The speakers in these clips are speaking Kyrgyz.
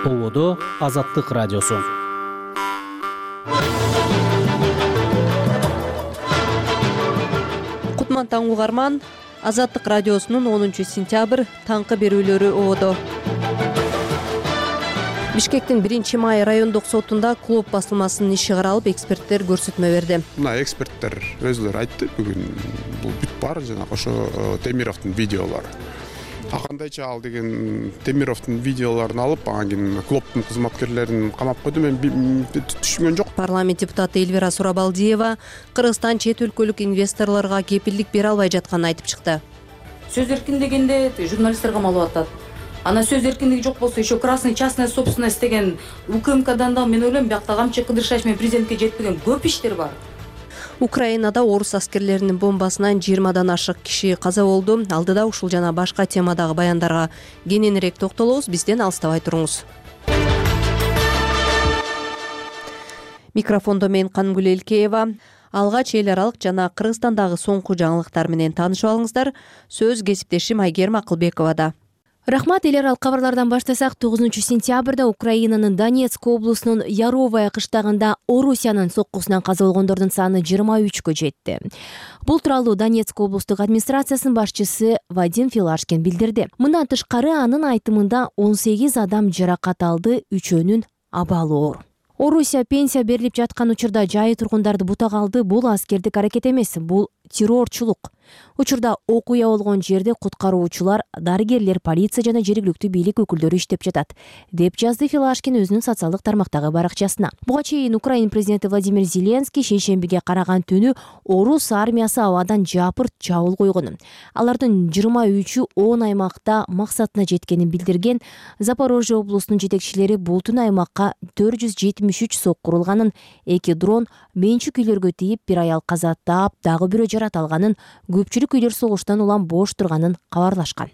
Ободо Азаттык радиосу. Кутман угарман, Азаттык радиосунун 10-сентябрь таңкы берүүлөрү ободо. Бишкектин 1-май райондук сотунда клуб басылмасынын иши каралып, эксперттер көрсөтмө берди. Мына эксперттер өзүлөрү айтты, бүгүн бул бүт баары жанагы ошо Темировдун видеолору. Кандайча ал деген Темировдун видеолорун алып, анан кийин клубдун кызматкерлерин камап койду, мен түшүнгөн жок. Парламент депутаты Эльвира Сурабалдиева Кыргызстан чет өлкөлүк инвесторлорго кепилдик бере албай жатканын айтып чыкты. Сөз эркиндегенде журналисттерге маалымат атат. Ана сөз эркиндиги жок болсо, еще красный частная собственность деген УКМКдан да мен ойлойм, биякта камчы кыдырышач менен президентке жетпеген көп иштер бар. Украинада орус аскерлеринин бомбасынан 20-дан ашык киши каза болду. Алдыда ушул жана башка темадагы баяндарга кененирээк токтолобуз. Бизден алыстабай туруңуз. Микрофондо мен Кангүл Элкеева. Алгач эл аралык жана Кыргызстандагы соңку жаңылыктар менен таанышып алыңыздар. Сөз кесиптешим Айгерим Акылбековада. Рахмат. Эл аралык кабарлардан баштасак, 9-сентябрда Украинанын Донецк облусунун Яровая кыштагында Орусиянын соккусунан каза болгондордун саны 23кө жетти. Бул тууралуу Донецк облустук администрациясынын башчысы Вадим Филашкин билдирди. Мындан тышкары анын айтымында 18 адам жаракат алды, 3өөнүн абалы оор. Орусия пенсия берилип жаткан учурда жайы тургундарды бутага алды. Бул аскердик аракет эмес, бул террорчулук. Учурда окуя болгон жерде куткаруучулар, дарыгерлер, полиция жана жергиликтүү бийлик өкүлдөрү иштеп жатат, деп жазды Филашкин өзүнүн социалдык тармактагы баракчасына. Буга чейин Украина президенти Владимир Зеленский шейшембиге караган түнү орус армиясы абадан жапырт чабуул койгонун, алардын 23-ү 10 аймакта максатына жеткенин билдирген. Запорожье облусунун жетекчилери бул түнү аймакка 473 сокку урулганын, 2 дрон менчик үйлөргө тийип, бир аял каза таап, дагы бирөө жарат алганын, көпчүлүк үйлөр согуштан улам бош турганын кабарлашкан.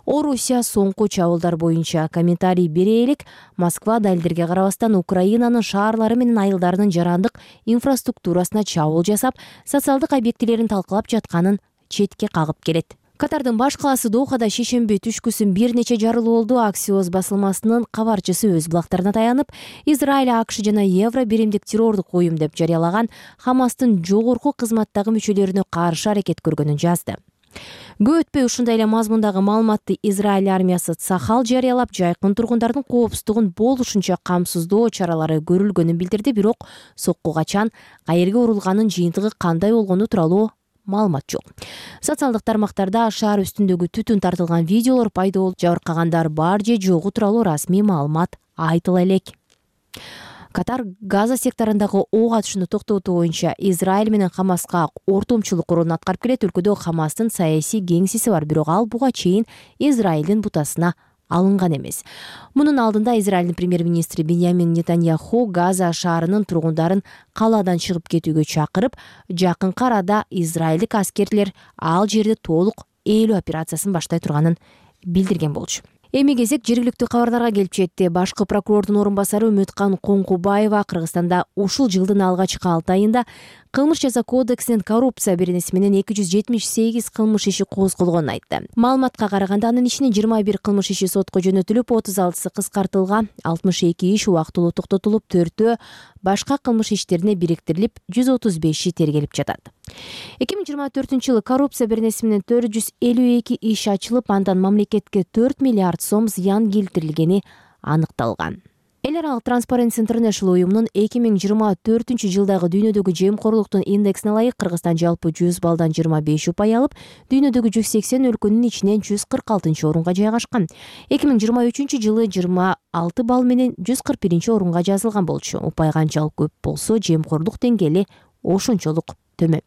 Орусия соңку чабуулдар боюнча комментарий бере элек. Москва далилдерге карабастан Украинанын шаарлары менен айылдарынын жарандык инфраструктурасына чабуул жасап, социалдык объектилерин талкалап жатканын четке кагып келет. Катардын баш калаасы Дохада шейшемби түшкүсүн бир нече жарылуу болду. Аксиос басылмасынын кабарчысы өз булактарына таянып, Израиль, АКШ жана Евро биримдик террордук уюм деп жарыялаган Хамастын жогорку кызматтагы мүчөлөрүнө каршы аракет көргөнүн жазды. Көп өтпөй ушундай эле мазмундагы маалыматты Израиль армиясы Цахал жарыялап, жайкын тургундардын коопсуздугун болушунча камсыздоо чаралары көрүлгөнүн билдирди. Бирок сокку качан, каерге урулганын, жыйынтыгы кандай болгону тууралуу маалымат жок. Социалдык тармактарда шаар үстүндөгү түтүн тартылган видеолор пайда болуп, жабыркагандар бар же жогу тууралуу расмий маалымат айтыла элек. Катар Газа секторундагы ок атышууну токтотуу боюнча Израиль менен Хамаска ортомчулук ролун аткарып келет. Өлкөдө Хамастын саясий кеңсеси бар, бирок ал буга чейин Израилдин бутасына алынган эмес. Мунун алдында Израилдин премьер-министри Беньямин Нетаньяху Газа шаарынын тургундарын калаадан чыгып кетүүгө чакырып, жакынкы арада израилдик аскерлер ал жерде толук ээлөө операциясын баштай турганын билдирген болчу. Эми кезек жергиликтүү кабарларга келип жетти. Башкы прокурордун орун басары Үмүткан Коңкубаева Кыргызстанда ушул жылдын алгачкы 6 айында Кылмыш жаза кодексинин коррупция беренеси менен 278 кылмыш иши козголгонун айтты. Маалыматка караганда анын ичинен 21 кылмыш иши сотко жөнөтүлүп, 36сы кыскартылган, 62 иш убактылуу токтотулуп, 4-өө башка кылмыш иштерине бириктирилип, 135 тергелип жатат. 2024-жылы коррупция беренеси менен 452 иш ачылып, андан мамлекетке 4 миллиард сом зыян келтирилгени аныкталган. Эл аралык Transparency International уюмунун 2024-жылдагы дүйнөдөгү жемкорлуктун индексине ылайык Кыргызстан жалпы 100 балдан 25 упай алып, дүйнөдөгү 180 өлкөнүн ичинен 146-орунга жайгашкан. 2023-жылы 26 балл менен 141-орунга жазылган болчу. Упай канчалык көп болсо, жемкорлук деңгээли ошончолук төмөн.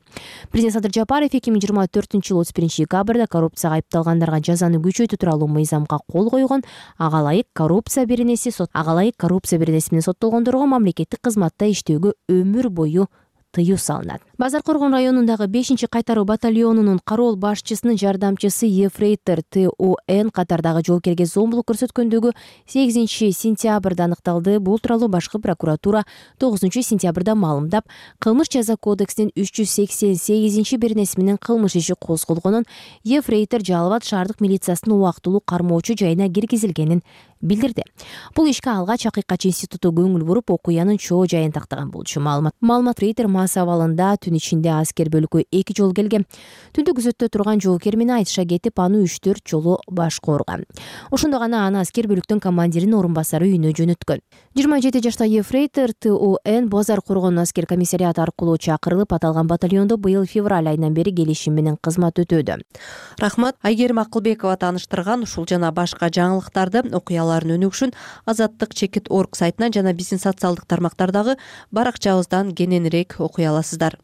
Президент Садыр Жапаров 2024-жылы 31-декабрда коррупцияга айыпталгандарга жазаны күчөтүү тууралуу мыйзамга кол койгон. Ага ылайык коррупция беренеси менен соттолгондорго мамлекеттик кызматта иштөөгө өмүр бою тыюу салынат. Базар Коргон районундагы 5-кайтаруу батальонунун кароол башчысынын жардамчысы ефрейтор ТОН катардагы жоокерге зомбулук көрсөткөндөгү 8-сентябрда аныкталды. Бул тууралуу башкы прокуратура 9-сентябрда маалымдап, кылмыш жаза кодексинин 388 беренеси менен кылмыш иши козголгонун, ефрейтор Жалал Абад шаардык милициясынын убактылуу кармоочу жайына киргизилгенин билдирди. Бул ишке алгач Акыйкатчы институту көңүл буруп, окуянын чоо жайын тактаган болчу. Маалымат Рейтер мас абалында түн ичинде аскер бөлүккө 2 жолу келген. Түндү күзөттө турган жоокер менен айтыша кетип, аны 3-4 жолу башкоорган. Ошондо гана аны аскер бөлүктүн командиринин орун басары үйүнө жөнөткөн. 27 жаштагы Ефрейтер ТОН Базар коргоонун аскер комиссариаты аркылуу чакырылып, аталган батальондо быйыл февраль айынан бери келишим менен кызмат өтөөдө. Рахмат. Айгерим Акылбекова тааныштырган ушул жана башка жаңылыктарды, окуялардын өнүгүшүн Азаттык.org сайтынан жана биздин социалдык тармактардагы баракчабыздан кененирээк окуй аласыздар.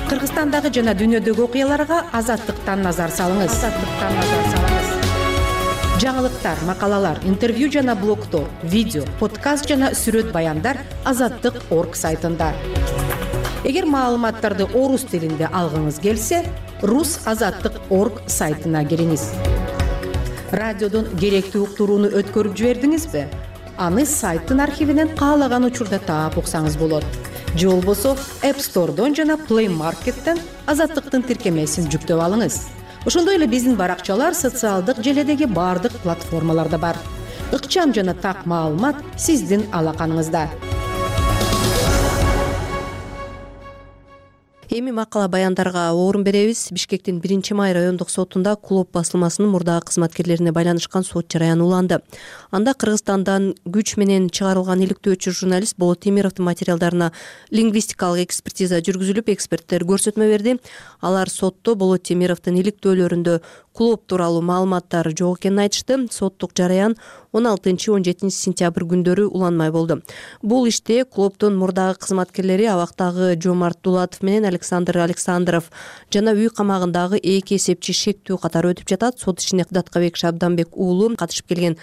Кыргызстандагы жана дүйнөдөгү окуяларга Азаттыктан назар салыңыз. Жаңылыктар, макалалар, интервью жана блогдор, видео, подкаст жана сүрөт баяндар Азаттык.org сайтында. Эгер маалыматтарды орус тилинде алгыңыз келсе, Rus.Azаттык.org сайтына кириңиз. Радиодон керектүү уктурууну өткөрүп жибердиңизби? Аны сайттын архивинен каалаган учурда таап уксаңыз болот. Же болбосо App Store'дон жана Play Market'тен Азаттыктын тиркемесин жүктөп алыңыз. Ошондой эле биздин баракчалар социалдык желедеги бардык платформаларда бар. Ыкчам жана так маалымат сиздин алаканыңызда. Эми макала баяндарга орун беребиз. Бишкектин 1-май райондук сотунда Клоп басылмасынын мурдагы кызматкерлерине байланышкан сот жараяны уланды. Анда Кыргызстандан күч менен чыгарылган иликтөөчү журналист Болот Темировдун материалдарына лингвистикалык экспертиза жүргүзүлүп, эксперттер көрсөтмө берди. Алар сотто Болот Темировдун иликтөөлөрүндө Клоп тууралуу маалыматтар жок экенин айтышты. Соттук жараян 16-17 сентябрь күндөрү уланмай болду. Бул иште Клоптун мурдагы кызматкерлери абактагы Жомарт Дулатов менен Александр Александров жана үй камагындагы 2 эсепчи шектүү катары өтүп жатат. Сот ишине Даткабек Шабданбек уулу катышып келген.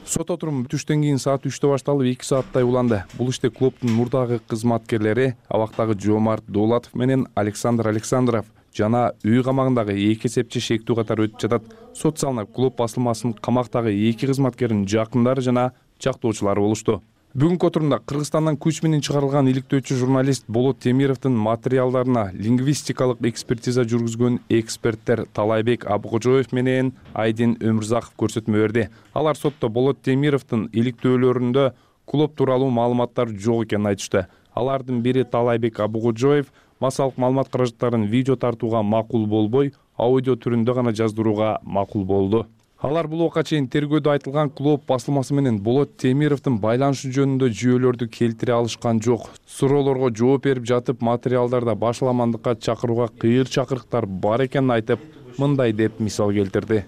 Сот отуруму түштөн кийин саат 3-тө башталып 2 сааттай уланды. Бул иште Клоптун мурдагы кызматкерлери абактагы Жомарт Дулатов менен Александр Александров жана үй камагындагы 2 эсепчи шектүү катары өтүп жатат. Сот залына Клоп басылмасынын камактагы 2 кызматкеринин жакындары жана жактоочулары болушту. Бүгүнкү отурумда Кыргызстандан күч менен чыгарылган иликтөөчү журналист Болот Темировдун материалдарына лингвистикалык экспертиза жүргүзгөн эксперттер Талайбек Абыкожоев менен Айдин Өмүрзаков көрсөтмө берди. Алар сотто Болот Темировдун иликтөөлөрүндө Клоп тууралуу маалыматтар жок экенин айтышты. Алардын бири Талайбек Абыкожоев массалык маалымат каражаттарын видео тартууга макул болбой, аудио түрүндө гана жаздырууга макул болду. Алар бул убакка чейин тергөөдө айтылган Клоп басылмасы менен Болот Темировдун байланышы жөнүндө жүйөлөрдү келтире алышкан жок. Суроолорго жооп берип жатып, материалдарда башаламандыкка чакырууга кыйыр чакырыктар бар экенин айтып, мындай деп мисал келтирди.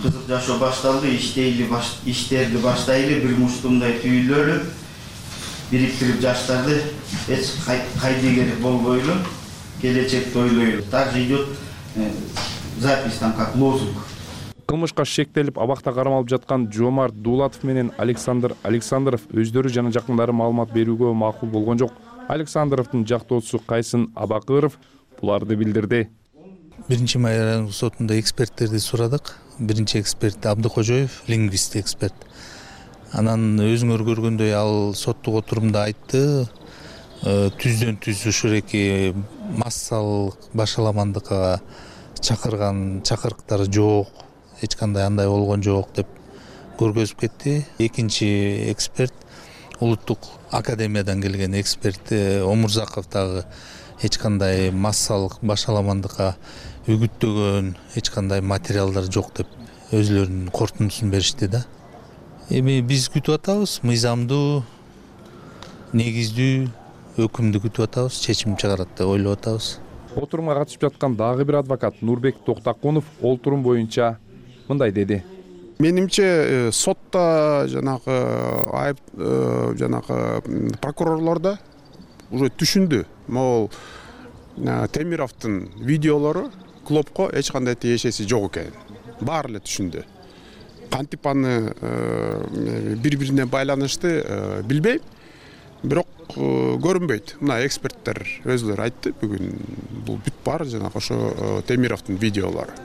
Кызык жашоо башталды, иштерди баштайлы, бир муштумдай түйүлөлү, бириктирип жаштарды эч кайдыгер болбойлу, келечекти ойлойлу. Также идет запись там как лозунг. Кылмышка шектелип абакта кармалып жаткан Жомарт Дулатов менен Александр Александров өздөрү жана жакындары маалымат берүүгө макул болгон жок. Александровдун жактоочусу Кайсын Абакыров буларды билдирди. 1-май райондук сотунда эксперттерди сурадык. Биринчи эксперт Абдыкожоев, лингвист эксперт. Анан өзүңөр көргөндөй ал соттук отурумда айтты, түздөн түз ушул эки массалык башаламандыкка чакырган чакырыктар жок, эч кандай андай болгон жок деп көргөзүп кетти. Экинчи эксперт улуттук академиядан келген эксперт Омурзаков дагы эч кандай массалык башаламандыкка үгүттөгөн эч кандай материалдар жок деп өзүлөрүнүн корутундусун беришти да. Эми биз күтүп атабыз, мыйзамдуу, негиздүү өкүмдү күтүп атабыз, чечим чыгарат деп ойлоп атабыз. Отурумга катышып жаткан дагы бир адвокат Нурбек Токтакунов олтурум боюнча мындай деди. Менимче сотто жанагы айып жанагы прокурорлордо уже түшүндү. Могул Темировдун видеолору Клопко эч кандай тиешеси жок экен. Баары эле түшүндү. Кантип аны бири-бирине байланышты билбейм. Бирок көрүнбөйт. Мына эксперттер өзүлөрү айтты бүгүн. Бул бүт бар жанагы ошо Темировдун видеолору.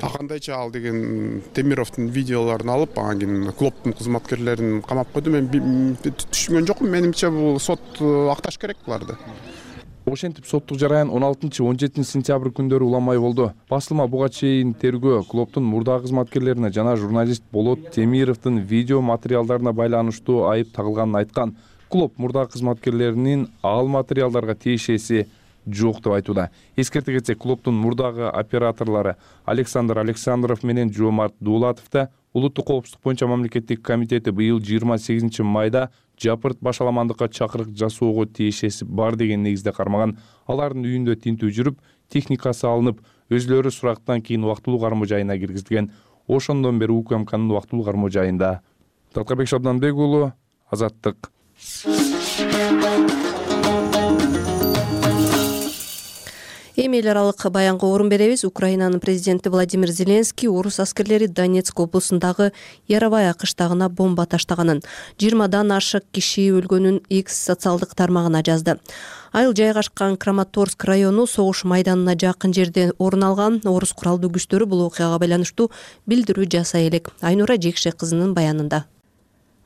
Акандайча ал деген Темировдун видеолорун алып, анан кийин Клоптун кызматкерлерин камап койду. Мен түшүнгөн жокмун. Менимче бул сот акташ керек буларды. Ошентип соттук жараян 16-17 сентябрь күндөрү уламай болду. Басылма буга чейин тергөө клубдун мурдагы кызматкерлерине жана журналист Болот Темировдун видео материалдарына байланыштуу айып тагылганын айткан. Клуб мурдагы кызматкерлеринин ал материалдарга тиешеси жок деп айтууда. Эскерте кетсек, клубдун мурдагы операторлору Александр Александров менен Жоомарт Дуулатов да улуттук коопсуздук боюнча мамлекеттик комитети быйыл 28 майда жапырт башаламандыкка чакырык жасоого тиешеси бар деген негизде кармаган. Алардын үйүндө тинтүү жүрүп, техникасы алынып, өзлөрү сурактан кийин убактылуу кармоо жайына киргизилген. Ошондон бери УКМКнын убактылуу кармоо жайында. Талкабек Шабданбек уулу, Азаттык. Эми эл аралык баянга орун беребиз. Украинанын президенти Владимир Зеленский орус аскерлери Донецк облусундагы Яровая кыштагына бомба таштаганын, 20дан ашык киши өлгөнүн X социалдык тармагына жазды. Айыл жайгашкан Краматорск району согуш майданына жакын жерде орун алган. Орус куралдуу күчтөрү бул окуяга байланыштуу билдирүү жасай элек. Айнура Жекше кызынын баянында.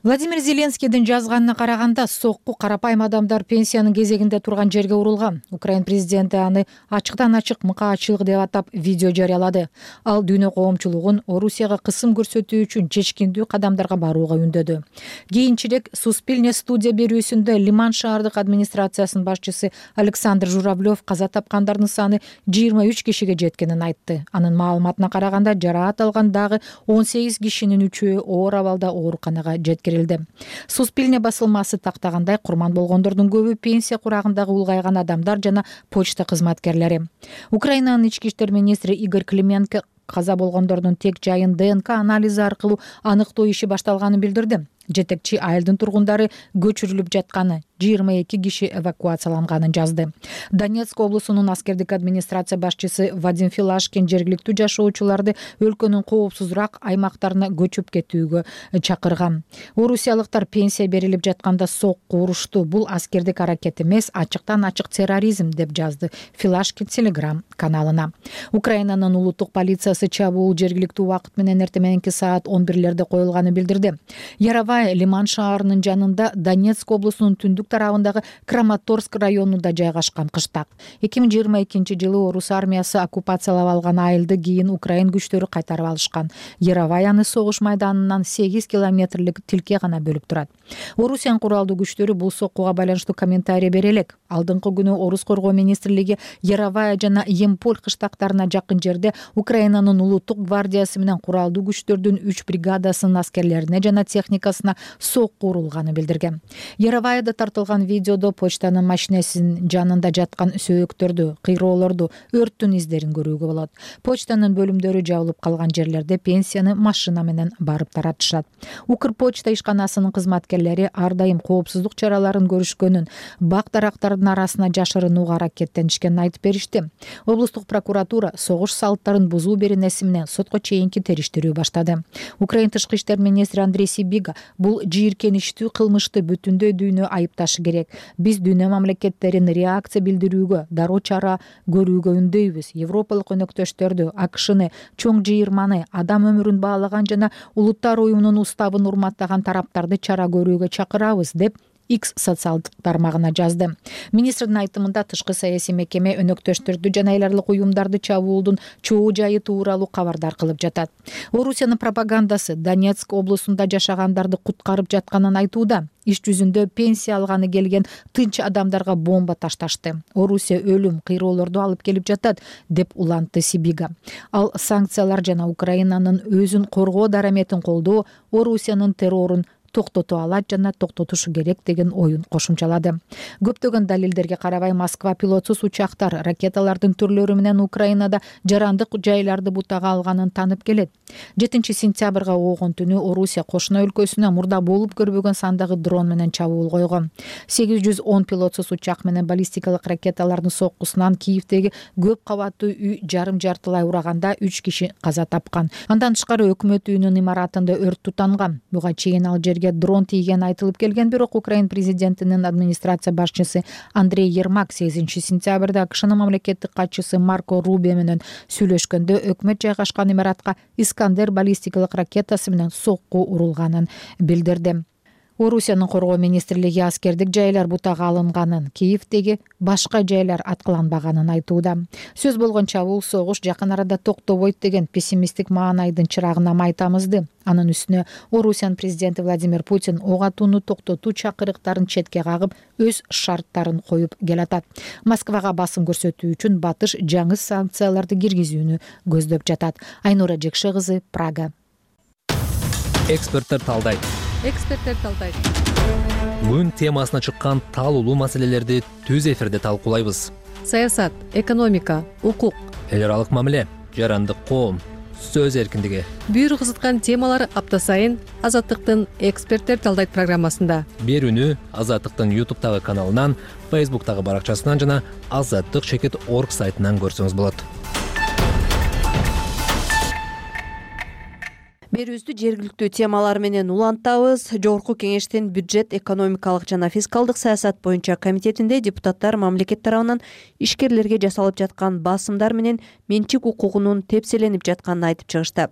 Владимир Зеленскийдин жазганына караганда, сокку карапайым адамдар пенсиянын кезегинде турган жерге урулган. Украин президенти аны ачыктан ачык мыкаачылык деп атап видео жарыялады. Ал дүйнө коомчулугун Орусияга кысым көрсөтүү үчүн чечкиндүү кадамдарга барууга үндөдү. Кийинчерээк Суспильне студия берүүсүндө Лиман шаардык администрациясынын башчысы Александр Журавлев каза тапкандардын саны 23 кишиге жеткенин айтты. Анын маалыматына караганда, жараат алган дагы 18 кишинин 3-өө оор абалда ооруканага жеткирилди. Суспильне басылмасы тактагандай, курман болгондордун көбү пенсия курагындагы улгайган адамдар жана почта кызматкерлери. Украинанын ички иштер министри Игорь Клименко каза болгондордун тек жайын ДНК анализи аркылуу аныктоо иши башталганын билдирди. Жетекчи айылдын тургундары көчүрүлүп жатканы, 22 киши эвакуацияланганын жазды. Донецк облусунун аскердик администрация башчысы Вадим Филашкин жергиликтүү жашоочуларды өлкөнүн коопсузураак аймактарына көчүп кетүүгө чакырган. Орусиялыктар пенсия берилип жатканда сокку урушту. Бул аскердик аракет эмес, ачыктан ачык терроризм деп жазды Филашкин Телеграм каналына. Украинанын улуттук полициясы чабуул жергиликтүү убакыт менен эртең мененки саат 11-лерде коюлганын билдирди. Яровая Лиман шаарынын жанында Донецк облусунун түндүк тарабындагы Краматорск районунда жайгашкан кыштак. 2022 жылы орус армиясы оккупациялап алган айылды кийин Украин күчтөрү кайтарып алышкан. Яроваяны согуш майданынан 8 километрлик тилке гана бөлүп турат. Орусиянын куралдуу күчтөрү бул соккуга байланыштуу комментарий бере элек. Алдыңкы күнү Орус коргоо министрлиги Яровая жана Емполь кыштактарына жакын жерде Украинанын улуттук гвардиясы менен куралдуу күчтөрдүн 3 бригадасынын аскерлерине жана техникасына сокку урулганын билдирген. Яроваяда тартылган видеодо почтанын машинесинин жанында жаткан сөөктөрдү, кыйроолорду, өрттүн издерин көрүүгө болот. Почтанын бөлүмдөрү жабылып калган жерлерде пенсияны машина менен барып таратышат. Укрпочта ишканасынын кызматкерлери ар дайым коопсуздук чараларын көрүшкөнүн, бак дарактардын арасына жашырынууга аракеттенишкенин айтып беришти. Облустук прокуратура согуш салттарын бузуу беренеси менен сотко чейинки териштирүү баштады. Украин тышкы иштер министри Андрей Сибига бул жийиркеничтүү кылмышты бүтүндөй дүйнө айыпташы керек. Биз дүйнө мамлекеттерин реакция билдирүүгө, дароо чара көрүүгө үндөйбүз. Европалык өнөктөштөрдү, АКШны, чоң жыйырманы, адам өмүрүн баалаган жана улуттар уюмунун уставын урматтаган тараптарды чара көрүүгө чакырабыз деп X социалдык тармагына жазды. Министрдин айтымында тышкы саясий мекеме өнөктөштөрдү жана эл аралык уюмдарды чабуулдун чоо жайы тууралуу кабардар кылып жатат. Орусиянын пропагандасы Донецк облусунда жашагандарды куткарып жатканын айтууда. Иш жүзүндө пенсия алганы келген тынч адамдарга бомба ташташты. Орусия өлүм, кыйроолорду алып келип жатат деп улантты Сибига. Ал санкциялар жана Украинанын өзүн коргоо дараметин колдоо Орусиянын террорун токтото алат жана токтотушу керек деген оюн кошумчалады. Көптөгөн далилдерге карабай Москва пилотсуз учактар, ракеталардын түрлөрү менен Украинада жарандык жайларды бутага алганын танып келет. 7-сентябрга оогон түнү Орусия кошуна өлкөсүнө мурда болуп көрбөгөн сандагы дрон менен чабуул койгон. 810 пилотсуз учак менен баллистикалык ракеталардын соккусунан Киевдеги көп кабаттуу үй жарым-жартылай ураганда 3 киши каза тапкан. Андан тышкары өкмөт үйүнүн имаратында өрт тутанган. Буга чейин ал жерге дрон тийген айтылып келген, бирок Украин президентинин администрация башчысы Андрей Ермак 8-сентябрда АКШнын мамлекеттик катчысы Марко Рубио менен сүйлөшкөндө өкмөт жайгашкан имаратка Искандер баллистикалык ракетасы менен сокку урулганын билдирди. Орусиянын коргоо министрлиги аскердик жайлар бутага алынганын, Киевдеги башка жайлар аткыланбаганын айтууда. Сөз болгонча бул согуш жакын арада токтобойт деген пессимисттик маанайдын чырагына май тамызды. Анын үстүнө Орусиянын президенти Владимир Путин ок атууну токтотуу чакырыктарын четке кагып, өз шарттарын коюп келатат. Москвага басым көрсөтүү үчүн Батыш жаңы санкцияларды киргизүүнү көздөп жатат. Айнура Жекше кызы, Прага. Эксперттер талдайт. Күн темасына чыккан талуулуу маселелерди түз эфирде талкуулайбыз. Саясат, экономика, укук, Эл аралык мамиле, жарандык коом, сөз эркиндиги. бүйүр кызыткан темалар апта сайын Азаттыктын эксперттер талдайт программасында. Берүүнү Азаттыктын YouTube'тагы каналынан, Facebook'тагы баракчасынан жана azattik.org сайтынан көрсөңүз болот. Берүүбүздү жергиликтүү темалар менен улантабыз. Жогорку кеңештин бюджет, экономикалык жана фискалдык саясат боюнча комитетинде депутаттар мамлекет тарабынан ишкерлерге жасалып жаткан басымдар менен менчик укугунун тепселенип жатканын айтып чыгышты.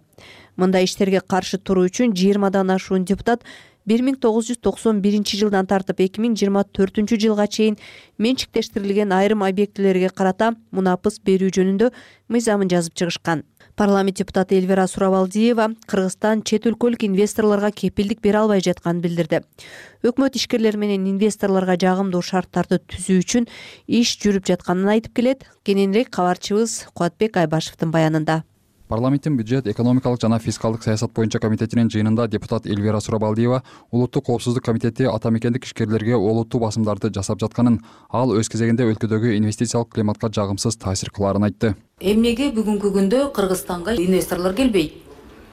Мындай иштерге каршы туруу үчүн 20дан ашуун депутат 1991 жылдан тартып 2024 жылга чейин менчиктештирилген айрым объектилерге карата мунапыс берүү жөнүндө мыйзамын жазып чыгышкан. Парламент депутаты Эльвира Сурабалдиева Кыргызстан чет өлкөлүк инвесторлорго кепилдик бере албай жатканын билдирди. Өкмөт ишкерлер менен инвесторлорго жагымдуу шарттарды түзүү үчүн иш жүрүп жатканын айтып келет. Кененирээк кабарчыбыз Кубатбек Айбашевдин баянында. Парламенттин бюджет, экономикалык жана фискалдык саясат боюнча комитетинин жыйынында депутат Эльвира Сурабалдиева улуттук коопсуздук комитети ата мекендик ишкерлерге олуттуу басымдарды жасап жатканын, ал өз кезегинде өлкөдөгү инвестициялык климатка жагымсыз таасир кылаарын айтты. Эмнеге бүгүнкү күндө Кыргызстанга инвесторлор келбейт?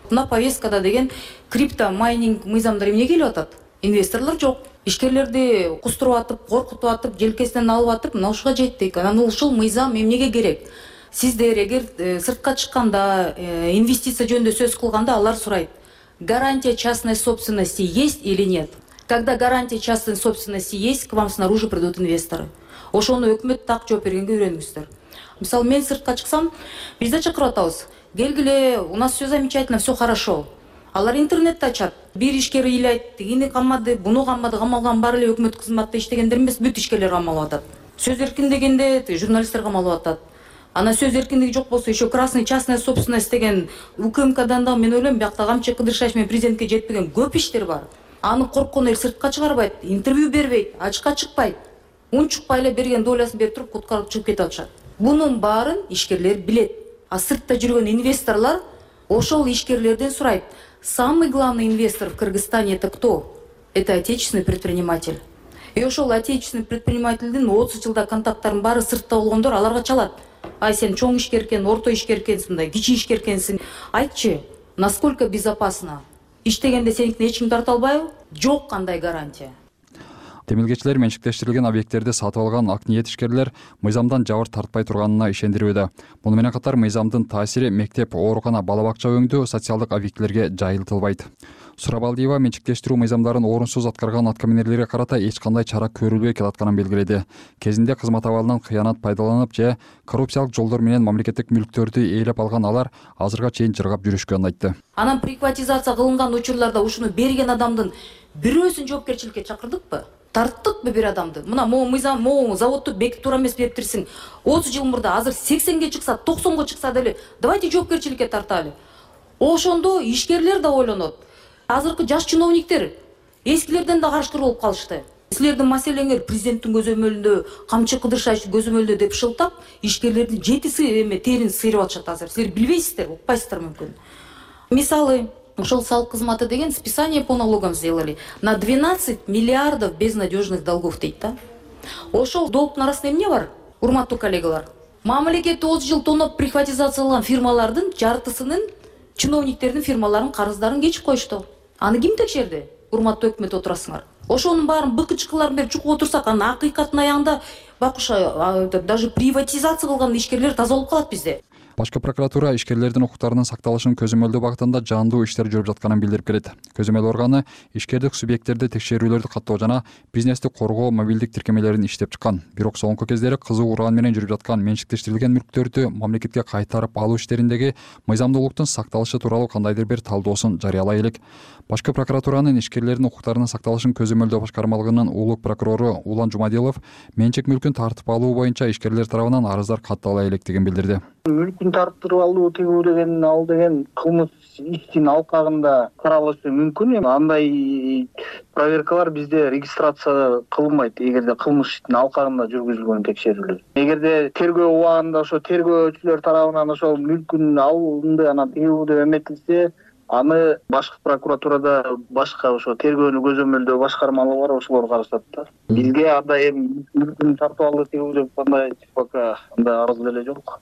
Мына повесткада деген крипто майнинг мыйзамдар эмне келип атат? Инвесторлор жок. Ишкерлерди кустуруп атып, коркутуп атып, желкесинен алып атып, мына ушуга жеттик. Анан ушул мыйзам эмнеге керек? Сиздер эгер сыртка чыкканда, инвестиция жөнүндө сөз кылганда алар сурайт. Гарантия частной собственности есть или нет? Когда гарантия частной собственности есть, к вам снаружи придут инвесторы. Ошону өкмөт так жооп бергенге үйрөнүңүздөр. Мисалы, мен сыртка чыксам, бизде чакырып атабыз. Келгиле, у нас все замечательно, все хорошо. Алар интернетти ачат. Бир ишкер ыйлайт, тигини камады, буну камады, камалган баары эле өкмөт кызматта иштегендер эмес, бүт ишкерлер камалып атат. Сөз эркиндигинде журналисттер камалып атат. Ана сөз эркиндиги жок болсо, еще красный частная собственность деген УКМКдан да мен ойлойм, биякта камчы кыдыршаш менен президентке жетпеген көп иштер бар. Аны корккон эл сыртка чыгарбайт, интервью бербейт, ачыкка чыкпайт. Унчукпай эле берген доласын берип туруп куткарып чыгып кетип атышат. Бунун баарын ишкерлер билет. А сыртта жүргөн инвесторлор ошол ишкерлерден сурайт. Самый главный инвестор в Кыргызстане это кто? Это отечественный предприниматель. И ошол отечественный предпринимательдин 30 жылда контакттарын баары сыртта болгондор аларга чалат. Ай, сен чоң ишкер экен, орто ишкер экенсиң да, кичи ишкер экенсиң. Айтчы, насколько безопасно? Иштегенде сеникин эч ким тарта албайбы? Жок кандай гарантия. Темилгечилер менчиктештирилген объекттерди сатып алган ак ниет ишкерлер мыйзамдан жабыр тартпай турганына ишендирүүдө. Муну менен катар мыйзамдын таасири мектеп, оорукана, бала бакча өңдүү социалдык объектилерге жайылтылбайт. Сурабалдиева менчиктештирүү мыйзамдарын орунсуз аткарган аткаминерлерге карата эч кандай чара көрүлбөй келатканын белгиледи. Кезинде кызмат абалынан кыянат пайдаланып же коррупциялык жолдор менен мамлекеттик мүлктөрдү ээлеп алган алар азырга чейин жыргап жүрүшкөнүн айтты. Анан приватизация кылынган учурларда ушуну берген адамдын бирөөсүн жоопкерчиликке чакырдыкпы? Тарттыкпы бир адамды? Мына могу мыйзам, могу заводду бекип тура эмес бериптирсиң. 30 жыл мурда азыр 80ге чыкса, 90го чыкса деле давайте жоопкерчиликке тарталы. Ошондо ишкерлер да ойлонот. Азыркы жаш чиновниктер эскилерден да карышкыр болуп калышты. Силердин маселеңер президенттин көзөмөлүндө, камчы кыдыршаш көзөмөлдө деп шылтап, ишкерлердин жетиси эме терин сыйрып атышат азыр. Силер билбейсиздер, укпайсыздар мүмкүн. Мисалы, ошол салык кызматы деген списание по налогам сделали на 12 миллиардов безнадежных долгов дейт да. Ошол долгтун арасында эмне бар? Урматтуу коллегалар, мамлекет 30 жыл тоноп приватизацияланган фирмалардын жартысынын чиновниктердин фирмаларынын карыздарын кечип коюшту. Аны ким текшерди? Урматтуу өкмөт отурасыңар. Ошонун баарын быкычкыларын берип чукуп отурсак, анын акыйкаттын аягында бакуша даже приватизация кылган ишкерлер таза болуп калат бизде. Башкы прокуратура ишкерлердин укуктарынын сакталышын көзөмөлдөө багытында жандуу иштер жүрүп жатканын билдирип келет. Көзөмөл органы ишкердик субъекттерди текшерүүлөрдү каттоо жана бизнести коргоо мобилдик тиркемелерин иштеп чыккан. Бирок соңку кездери кызуу уран менен жүрүп жаткан менчиктештирилген мүлктөрдү мамлекетке кайтарып алуу иштериндеги мыйзамдуулуктун сакталышы тууралуу кандайдыр бир талдоосун жарыялай элек. Башкы прокуратуранын ишкерлердин укуктарынын сакталышын көзөмөлдөө башкармалыгынын улук прокурору Улан Жумадилов менчик мүлкүн тартып алуу боюнча ишкерлер тарабынан арыздар каттала электигин билдирди. Мүлкүн тартып алуу тигүү деген ал деген кылмыш иштин алкагында каралышы мүмкүн. Андай проверкалар бизде регистрация кылынбайт эгерде кылмыш иштин алкагында жүргүзүлгөн текшерүүлөр. Эгерде тергөө убагында ошо тергөөчүлөр тарабынан ошол мүлкүн алынды анан тигүү деп эметилсе, аны башкы прокуратурада башка ошо тергөөнү көзөмөлдөө башкармалыгы бар, ошолор карашат да. Бизге анда эми мүлкүн тартып алды тигүү деп кандай пока андай арыз деле жок.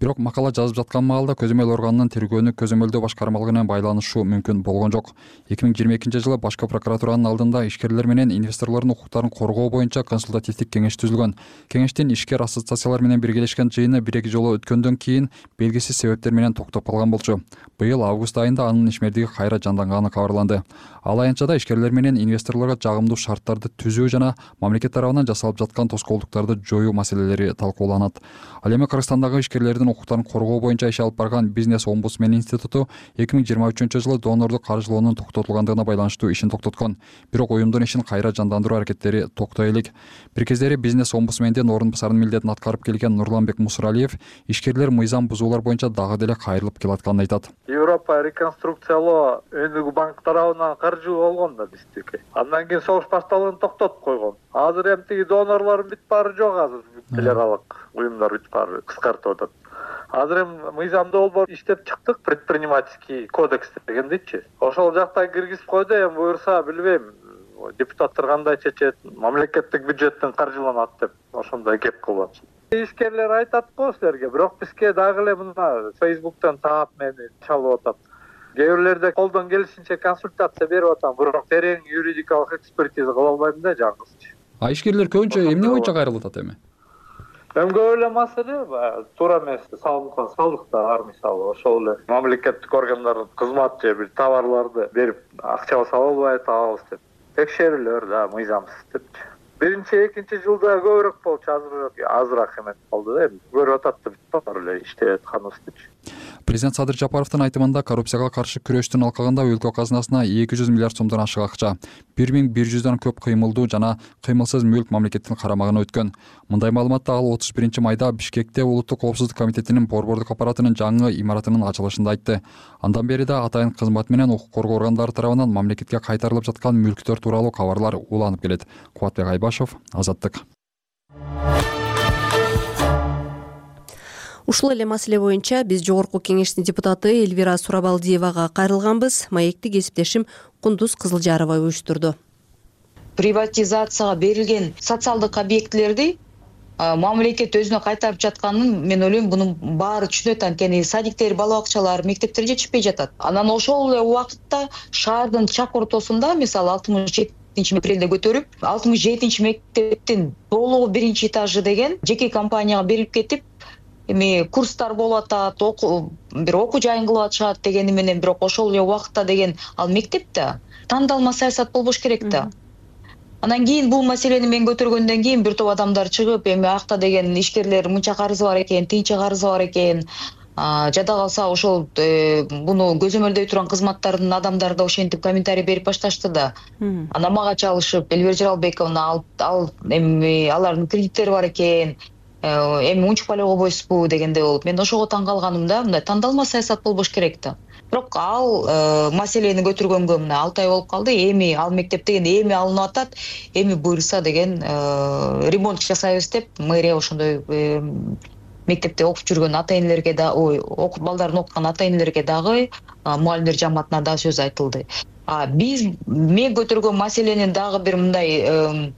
Бирок макала жазып жаткан маалда көзөмөл органынын тергөөнү көзөмөлдөө башкармалыгына байланышы мүмкүн болгон жок. 2022-жылы башкы прокуратуранын алдында ишкерлер менен инвесторлордун укуктарын коргоо боюнча консультативдик кеңеш түзүлгөн. Кеңештин ишкер ассоциациялар менен биргелешкен жыйыны 1-2 жолу өткөндөн кийин белгисиз себептер менен токтоп калган болчу. Быйыл август айында анын ишмердиги кайра жанданганы кабарланды. Ал аянтчада ишкерлер менен инвесторлорго жагымдуу шарттарды түзүү жана мамлекет тарабынан жасалып жаткан тоскоолдуктарды жоюу маселелери талкууланат. Ал эми Кыргызстандагы ишкерлердин укуктарын коргоо боюнча иш алып барган Бизнес-омбудсмен институту 2023-жылы донордук каржылоонун токтотулгандыгына байланыштуу ишин токтоткон. Бирок уюмдун ишин кайра жандандыруу аракеттери токтой элек. Бир кездери Бизнес-омбудсмендин орун басарынын милдетин аткарып келген Нурланбек Мусуралиев ишкерлер мыйзам бузуулар боюнча дагы деле кайрылып келатканын айтат. Европа реконструкциялоо өнүгүү банк тарабынан каржы болгон да биздики. Андан кийин согуш башталган токтотуп койгон. Азыр эми тиги донорлордун бүт баары жок азыр. Федералдык уюмдар бүт баары кыскартып атат. Азыр эми мыйзамдуу болбор иштеп чыктык, предпринимательский кодекс дегендичи. Ошол жакта киргизип койду, эми буюрса билбейм. Депутаттар кандай чечет, мамлекеттик бюджеттен каржыланат деп ошондой кеп кылып. Ишкерлер айтат го силерге, бирок бизге дагы эле мына Facebook'тан таап мени чалып атат. Кээ бирлерде колдон келишинче консультация берип атам, бирок терең юридикалык экспертиза кыла албайм да жаңгызчы. А ишкерлер көбүнчө эмне боюнча кайрылып атат эми? Эми көп эле маселе туура эмес салынган салыктар бар, мисалы ошол эле мамлекеттик органдар кызмат же бир товарларды берип акча сала албай атабыз деп текшерүүлөр да мыйзамсыз депчи. Биринчи, экинчи жылда көбүрөөк болчу, азыраак эметип калды да, көрүп атат да бар эле иштеп атканыбыз депчи. Президент Садыр Жапаровдун айтымында коррупцияга каршы күрөштүн алкагында өлкө казынасына 200 миллиард сомдон ашык акча, 1100 көп кыймылдуу жана кыймылсыз мүлк мамлекеттин карамагына өткөн. Мындай маалыматты ал 31 майда Бишкекте Улуттук коопсуздук комитетинин борбордук аппаратынын жаңы имаратынын ачылышында айтты. Андан бери да атайын кызмат менен укук коргоо органдары тарабынан мамлекетке кайтарылып жаткан мүлктөр тууралуу кабарлар уланып келет. Кубатбек Айбашев, Азаттык. Ушул эле маселе боюнча биз жогорку кеңештин депутаты Элвира Сурабалдиевага кайрылганбыз. Маекти кесиптешим Кундуз Кызылжарова уюштурду. Приватизацияга берилген социалдык объектилерди мамлекет өзүнө кайтарып жатканын мен ойлойм, мунун баары түшүнөт, анткени садиктер, бала бакчалар, мектептер жетишпей жатат. Анан ошол эле убакытта шаардын чак ортосунда, мисалы 67 апрелде көтөрүп, 67 мектептин толугу 1-этажы деген жеке компанияга берилип кетип, эми курстар болуп атат, бир окуу жайын кылып атышат дегени менен, бирок ошол эле убакытта деген ал мектепте тандалма саясат болбош керек да. Анан кийин бул маселени мен көтөргөндөн кийин бир топ адамдар чыгып, эми акта деген ишкерлер мынча карызы бар экен, тинче карызы бар экен, жада калса ошол буну көзөмөлдөй турган кызматтардын адамдары да ошентип комментарий берип башташты да. Анан мага чалышып, Элвира Жаралбековна эми алардын кредиттери бар экен, эми унчукпай эле койбойсузбу дегенде болуп, мен ошого таң калганым да, мындай тандалма саясат болбош керек да. Бирок ал маселени көтөргөнгө мына 6 ай болуп калды. Эми ал мектеп деген эми алынып атат, эми буюрса деген ремонт жасайбыз деп мэрия ошондой мектепте окуп жүргөн ата-энелерге да, окуп балдарын окуткан ата-энелерге дагы, мугалимдер жамаатына да сөз айтылды. Мен көтөргөн маселенин дагы бир мындай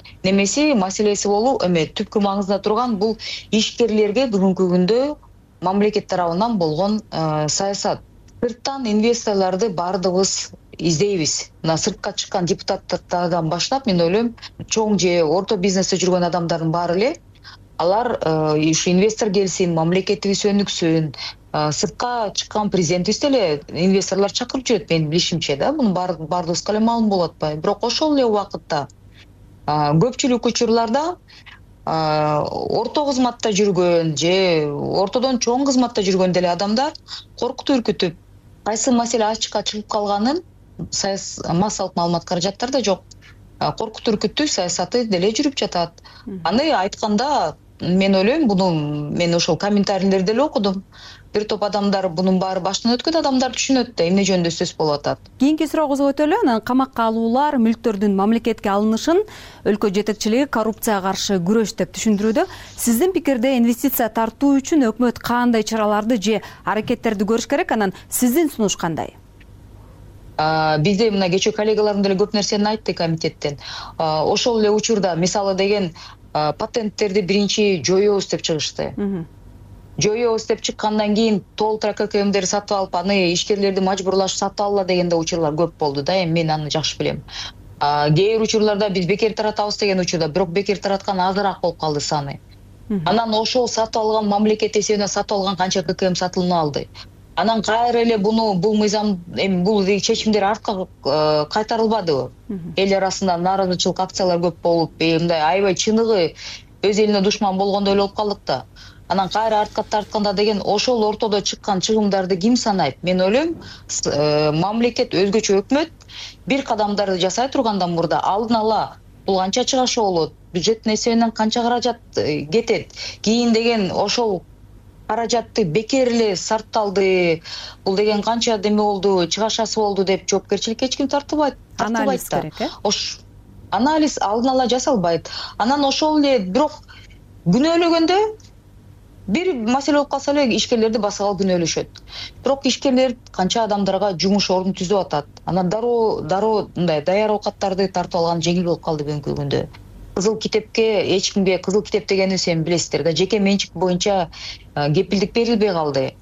маселеси болуу, эми түпкү маңызда турган бул ишкерлерге бүгүнкү күндө мамлекет тарабынан болгон саясат. Сырттан инвесторлорду бардыгыбыз издейбиз. Мына сыртка чыккан депутаттардан баштап, мен ойлойм, чоң же орто бизнесте жүргөн адамдардын баары эле алар ушу инвестор келсин, мамлекетибиз өнүксүн, сыртка чыккан президентибиз деле инвесторлор чакырып жүрөт менин билишимче да. Мунун баардыгыбызга эле маалым болуп атпайбы. Бирок ошол эле убакытта көпчүлүк учурларда орто кызматта жүргөн же ортодон чоң кызматта жүргөн деле адамдар коркутуп үркүтүп, кайсы маселе ачыкка чыгып калганын массалык маалымат каражаттарда жок. Коркутуп үркүтүү саясаты деле жүрүп жатат. Аны айтканда мен ойлойм, мен ошол комментарийлерди эле окудум. Бир топ адамдар бунун баары баштан өткөн адамдар түшүнөт да, эмне жөнүндө сөз болуп атат. Кийинки суроогубузга өтөлү. Анан камакка алуулар, мүлктөрдүн мамлекетке алынышын өлкө жетекчилиги коррупцияга каршы күрөш деп түшүндүрүүдө. Сиздин пикирде инвестиция тартуу үчүн өкмөт кандай чараларды же аракеттерди көрүш керек? Анан сиздин сунуш кандай? Бизде мына кечээ коллегаларым деле көп нерсени айтты комитеттен. Ошол эле учурда мисалы деген патенттерди биринчи жоёбуз деп чыгышты. Жоёбуз деп чыккандан кийин толтура ККМдерди сатып алып, аны ишкерлерди мажбурлашып сатып алла дегенде учурлар көп болду да. Эми мен аны жакшы билем. Кээ бир учурларда биз бекер таратабыз деген учурда, бирок бекер тараткан азыраак болуп калды саны. Анан ошол сатып алган мамлекет эсебинен сатып алган канча ККМ сатылынып алды. Анан кайра эле бул мыйзам, бул чечимдер артка кайтарылбадыбы? Эл арасында нааразычылык акциялар көп болуп, мындай аябай чыныгы өз элине душман болгондой эле болуп калдык да. Анан кайра артка тартканда деген ошол ортодо чыккан чыгымдарды ким санайт? Мен ойлойм, мамлекет, өзгөчө өкмөт бир кадамдарды жасай тургандан мурда алдын ала бул канча чыгашы болот, бюджеттин эсебинен канча каражат кетет, кийин деген ошол каражатты бекер эле сарпталды, бул деген канча деме болду, чыгашасы болду деп жоопкерчиликке эч ким тартылбайт. Анализ керек, анализ алдын ала жасалбайт. Анан ошол эле бирок күнөөлөгөндө бир маселе болуп калса эле ишкерлерди басалы күнөөлөшөт. Бирок ишкерлер канча адамдарга жумуш ордун түзүп атат. Анан дароо мындай даяр оокаттарды тартып алган жеңил болуп калды бүгүнкү күндө. Кызыл китепке эч кимге, кызыл китеп дегенди сен билесиздер да, жеке менчик боюнча кепилдик берилбей калды.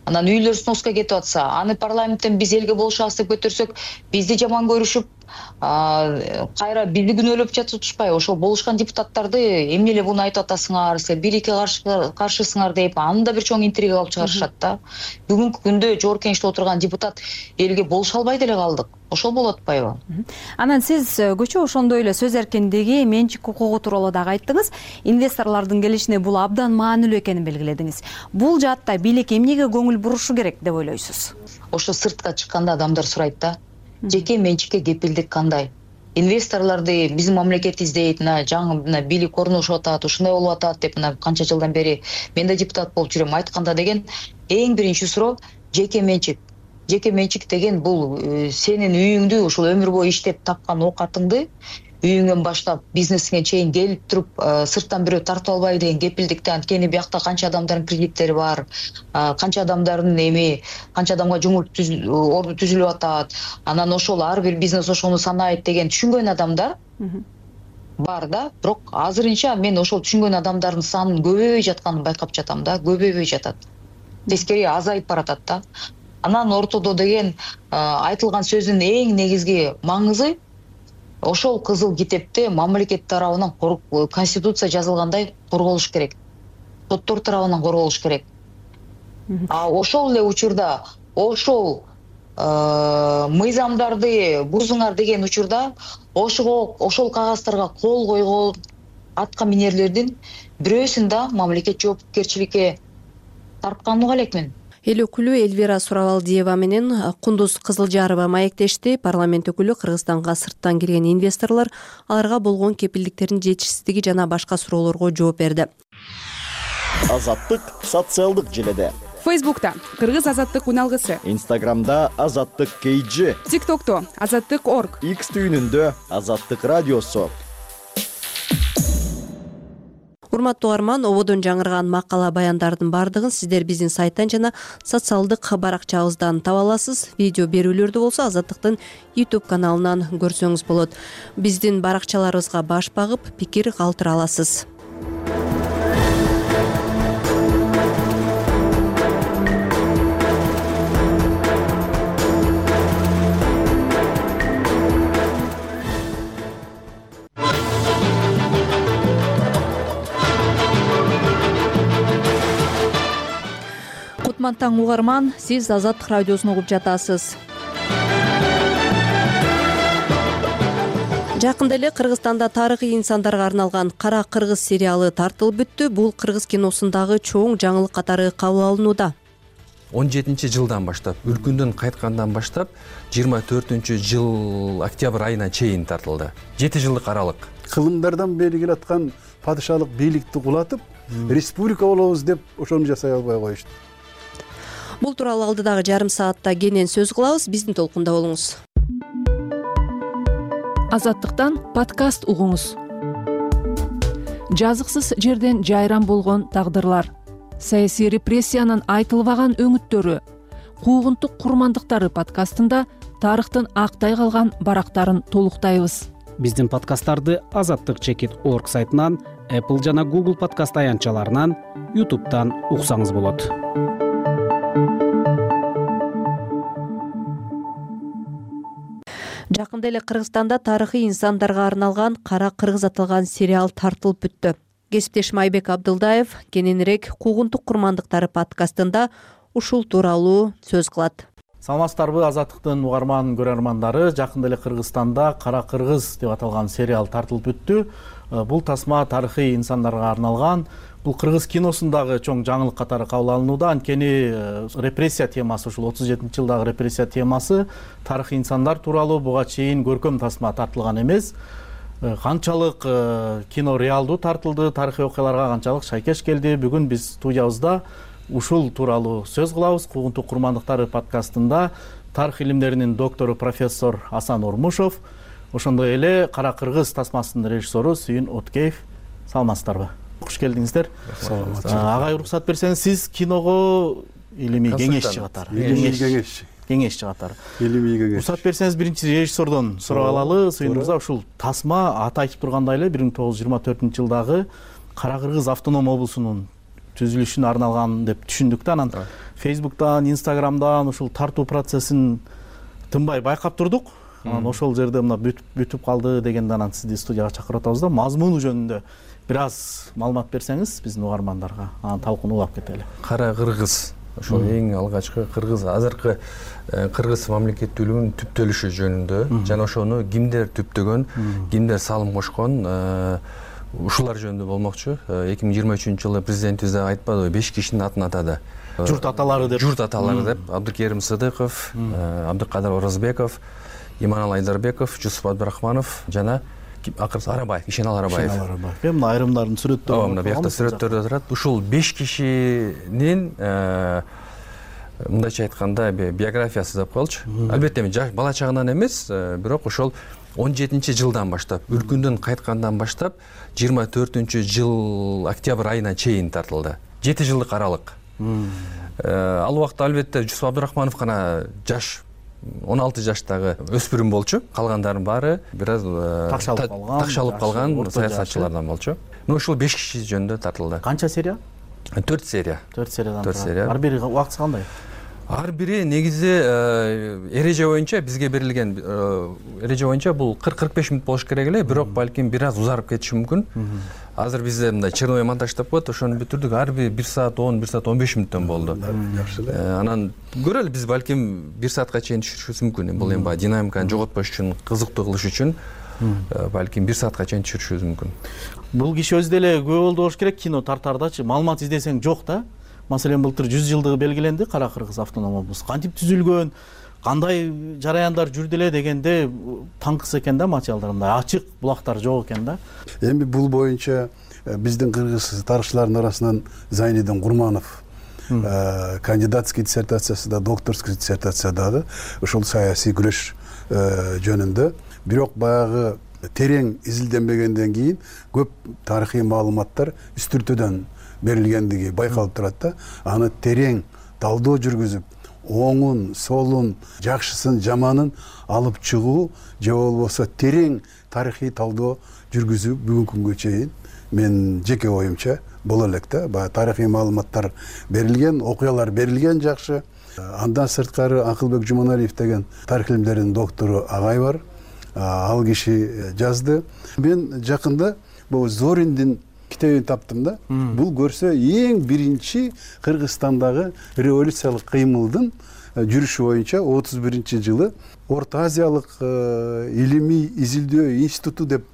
Анан үйлөр сноска кетип атса, аны парламенттен биз элге болушабыз деп көтөрсөк, бизди жаман көрүшүп, кайра бизди күнөөлөп жатышпайбы? Ошол болушкан депутаттарды эмне эле буну айтып атасыңар, силер бийликке каршысыңар деп, аны да бир чоң интрига алып чыгарышат да. Бүгүнкү күндө жогорку кеңеште отурган депутат элге болуша албай деле калдык. Ошол болуп атпайбы? Анан сиз көчө ошондой эле сөз эркиндиги, менчик укугу тууралуу дагы айттыңыз. Инвесторлордун келишине бул абдан маанилүү экенин белгиледиңиз. Бул жаатта бийлик эмнеге көңүл бурушу керек деп ойлойсуз? Ошо сыртка чыкканда адамдар сурайт да. Жеке менчикке кепилдик кандай? Инвесторлорду биздин мамлекет издейт, жаңы бийлик орношуп атат, ушундай болуп атат деп канча жылдан бери мен да депутат болуп жүрөм айтканда деген эң биринчи суроо жеке менчик. Жеке менчик деген бул сенин үйүңдү, ушул өмүр бою иштеп тапкан оокатыңды үйүңөн баштап бизнесиңе чейин келип туруп сырттан бирөө тартып албайбы деген кепилдикти. Анткени биякта канча адамдардын кредиттери бар, канча адамдардын канча адамга жумуш орду түзүлүп атат. Анан ошол ар бир бизнес ошону санайт деген түшүнгөн адамдар бар да. Бирок азырынча мен ошол түшүнгөн адамдардын санынын көбөйбөй жатканын байкап жатам да, көбөйбөй жатат. Тескери азайып баратат да. Анан ортодо деген айтылган сөздүн эң негизги маңызы ошол кызыл китепте мамлекет тарабынан конституция жазылгандай корголуш керек. Соттор тарабынан корголуш керек. Ошол эле учурда ошол мыйзамдарды бузуңар деген учурда ошол кагаздарга кол койгон атка минерлердин бирөөсүн да мамлекет жоопкерчиликке тартканын уга элекмин. Эл өкүлү Элвира Суравалдиева менен Кундуз Кызылжарова маектешти. Парламент өкүлү Кыргызстанга сырттан кирген инвесторлор аларга болгон кепилдиктердин жетишсиздиги жана башка суроолорго жооп берди. Азаттык социалдык желеде. Фейсбукта Кыргыз азаттык уналгысы. Инстаграмда Азаттык KG. ТикТокто Азаттык.org. X түйүнүндө Азаттык радиосу. Урматтуу угарман, ободон жаңырган макала баяндардын бардыгын сиздер биздин сайттан жана социалдык баракчабыздан таба аласыз. Видео берүүлөрдү болсо Азаттыктын YouTube каналынан көрсөңүз болот. Биздин баракчаларыбызга баш багып, пикир калтыра аласыз. кутман таң угарман, сиз Азаттык радиосун угуп жатасыз. Жакында эле Кыргызстанда тарыхый инсандарга арналган Кара кыргыз сериалы тартылып бүттү. Бул кыргыз киносундагы чоң жаңылык катары кабыл алынууда. 17-жылдан баштап, өлкөндөн кайткандан баштап 24-жыл октябрь айына чейин тартылды. 7 жылдык аралык. Кылымдардан бери келаткан падышалык бийликти кулатып, республика болобуз деп ошону жасай албай коюшту. Бул тууралуу алдыдагы жарым саатта кенен сөз кылабыз. Биздин толкунда болуңуз. Азаттыктан подкаст угуңуз. Жазыксыз жерден жайран болгон тагдырлар, саясий репрессиянын айтылбаган өңүттөрү, куугунтук курмандыктары подкастында тарыхтын актай калган барактарын толуктайбыз. Биздин подкасттарды azattik.org сайтынан, Apple жана Google подкаст аянтчаларынан, YouTube'дан уксаңыз болот. Жакында эле Кыргызстанда тарыхый инсандарга арналган Кара кыргыз аталган сериал тартылып бүттү. Кесиптешим Айбек Абдылдаев кененирээк куугунтук курмандыктары подкастында ушул тууралуу сөз кылат. Саламатсыздарбы, Азаттыктын угарман көрөрмандары. Жакында эле Кыргызстанда Кара кыргыз деп аталган сериал тартылып бүттү. Бул тасма тарыхый инсандарга арналган. Бул кыргыз киносундагы чоң жаңылык катары кабыл алынууда. Анткени репрессия темасы, ушул 37-жылдагы репрессия темасы тарыхый инсандар тууралуу буга чейин көркөм тасма тартылган эмес. Канчалык кино реалдуу тартылды, тарыхый окуяларга канчалык шайкеш келди. Бүгүн биз студиябызда ушул тууралуу сөз кылабыз. Куугунтук курмандыктары подкастында тарых илимдеринин доктору профессор Асан Ормушов, ошондой эле Кара кыргыз тасмасынын режиссеру Сүйүн Откеев. Саламатсыздарбы? Куш келдиңиздер. Агай, уруксат берсеңиз, сиз киного илимий кеңешчи катары. Кеңешчи катары. Илимий кеңеш. Уруксат берсеңиз, биринчи режиссердон сурап алалы. Сүйүн мырза, ушул тасма аты айтып тургандай эле 1924-жылдагы Кара кыргыз автоном облусунун түзүлүшүнө арналган деп түшүндүк да. Анан Facebook'тан, Instagram'дан ушул тартуу процессин тынбай байкап турдук. Анан ошол жерде мына бүтүп калды дегенде анан сизди студияга чакырып атабыз да. Мазмуну жөнүндө бир аз маалымат берсеңиз биздин угармандарга, анан талкууну улап кетели. Кара кыргыз ошол эң алгачкы кыргыз, азыркы кыргыз мамлекеттүүлүгүнүн түптөлүшү жөнүндө жана ошону кимдер түптөгөн, кимдер салым кошкон, ушулар жөнүндө болмокчу. 2023-жылы президентибиз да айтпадыбы, 5 кишинин атын атады. Журт аталары деп. Журт аталары деп. Абдыкерим Сыдыков, Абдыкадыр Оразбеков, Иманал Айдарбеков, Жусуп Абдырахманов жана акыркысы Арабаев, Ишенал Арабаев. Мына айрымдардын сүрөттөрү. Мына биякта сүрөттөрдө турат. Ушул 5 кишинин мындайча айтканда биографиясы деп коелучу. Албетте бала чагынан эмес, бирок ошол 17-жылдан баштап, өлкөндөн кайткандан баштап 24-жыл октябрь айына чейин тартылды. 7 жылдык аралык. Ал убакта албетте Жусуп Абдырахманов гана жаш 16 жаштагы өспүрүм болчу. Калгандардын баары бир аз такшалып калган саясатчылардан болчу. Ушул 5 киши жөнүндө тартылды. Канча серия? 4 серия. 4 сериядан. Ар бири убактысы кандай? Ар бири негизи эреже боюнча бизге берилген эреже боюнча бул 40-45 мүнөт болуш керек эле, бирок балким бир аз узарып кетиши мүмкүн. Азыр бизде мындай черновой монтаж деп коет, ошону бүтүрдүк. Ар бири 1 саат 10, 1 саат 15 мүнөттөн болду. Жакшы эле. Анан көрөлү, биз балким 1 саатка чейин түшүрүшүбүз мүмкүн. Бул эми динамиканы жоготпош үчүн, кызыктуу кылыш үчүн балким 1 саатка чейин түшүрүшүбүз мүмкүн. Бул киши өзү деле күбө болду болуш керек кино тартардачы. Маалымат издесең жок да. Маселен, былтыр 100 жылдыгы белгиленди Кара кыргыз автоном облусу. Кантип түзүлгөн, кандай жараяндар жүрдү эле дегенде таңкыс экен да материалдар, мындай ачык булактар жок экен да. Эми бул боюнча биздин кыргыз тарыхчылардын арасынан Зайнидин Курманов кандидатский диссертациясында, докторский диссертациядагы ушул саясий күрөш жөнүндө, бирок баягы терең изилденбегенден кийин көп тарыхый маалыматтар үстүртөдөн берилгендиги байкалып турат да. Аны терең талдоо жүргүзүп, оңун, солун, жакшысын, жаманын алып чыгуу же болбосо терең тарыхый талдоо жүргүзүү бүгүнкү күнгө чейин мен жеке оюмча боло элек да. Баягы тарыхый маалыматтар берилген, окуялар берилген жакшы. Андан сырткары Акылбек Жуманалиев деген тарых илимдеринин доктору агай бар. Ал киши жазды. Мен жакында бул Зориндин китебин таптым да. Бул көрсө эң биринчи Кыргызстандагы революциялык кыймылдын жүрүшү боюнча 31-жылы Орто Азиялык илимий изилдөө институту деп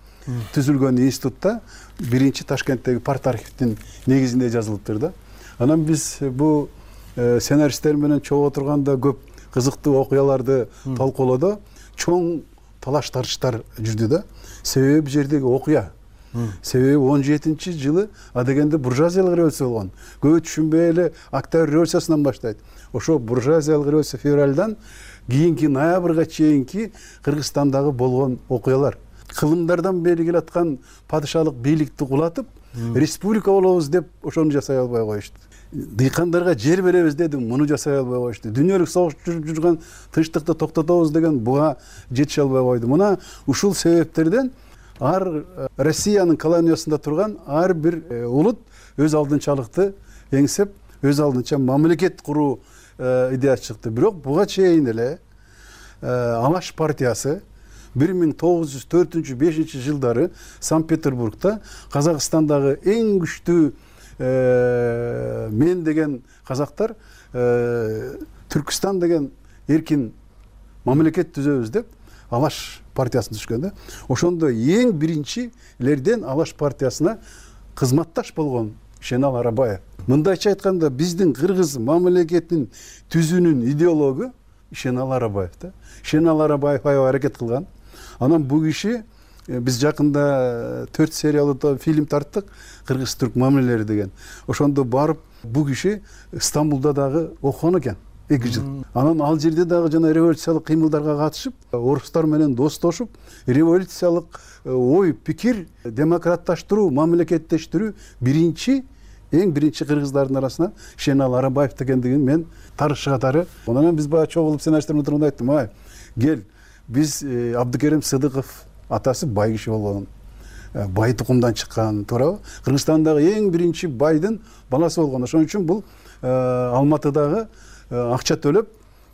түзүлгөн институтта биринчи Ташкенттеги парт архивдин негизинде жазылыптыр да. Анан биз бул сценаристтер менен чогуу отурганда көп кызыктуу окуяларды талкуулоодо чоң талаш тартыштар жүрдү да. Себеби бул жердеги окуя. Себеби 17-жылы адегенде буржуазиялык революция болгон. Көбү түшүнбөй эле Октябрь революциясынан баштайт. Ошо буржуазиялык революция февралдан кийинки ноябрга чейинки Кыргызстандагы болгон окуялар. Кылымдардан бери келаткан падышалык бийликти кулатып, республика болобуз деп ошону жасай албай коюшту. Дыйкандарга жер беребиз деди, муну жасай албай коюшту. Дүйнөлүк согуш жүрүп жүргөн тынчтыкты токтотобуз деген буга жетише албай койду. Мына ушул себептерден Россиянын колониясында турган ар бир улут өз алдынчалыкты эңсеп, өз алдынча мамлекет куруу идеясы чыкты. Бирок буга чейин эле Алаш партиясы 1904-5 жылдары Санкт-Петербургда Казакстандагы эң күчтүү мен деген казактар Түркистан деген эркин мамлекет түзөбүз деп Алаш партиясына түшкөн да. Ошондо эң биринчилерден Алаш партиясына кызматташ болгон Шенал Арабаев. Мындайча айтканда биздин кыргыз мамлекетин түзүүнүн идеологу Шенал Арабаев да. Шенал Арабаев аябай аракет кылган. Анан бул киши биз жакында 4 сериялуу фильм тарттык, Кыргыз-түрк мамилелери деген. Ошондо барып бул киши Стамбулда дагы окуган экен 2 жыл. Анан ал жерде дагы жана революциялык кыймылдарга катышып, орустар менен достошуп, революциялык ой, пикир, демократташтыруу, мамлекеттештирүү эң биринчи кыргыздардын арасына Шенал Арабаев дегендигин мен тарыхчы катары. Анан биз баа чогулуп сценаристтер менен турганда айттым, кел, биз Абдыкерим Сыдыков атасы бай киши болгон, бай тукумдан чыккан, туурабы? Кыргызстандагы эң биринчи байдын баласы болгон. Ошон үчүн бул Алматыдагы акча төлөп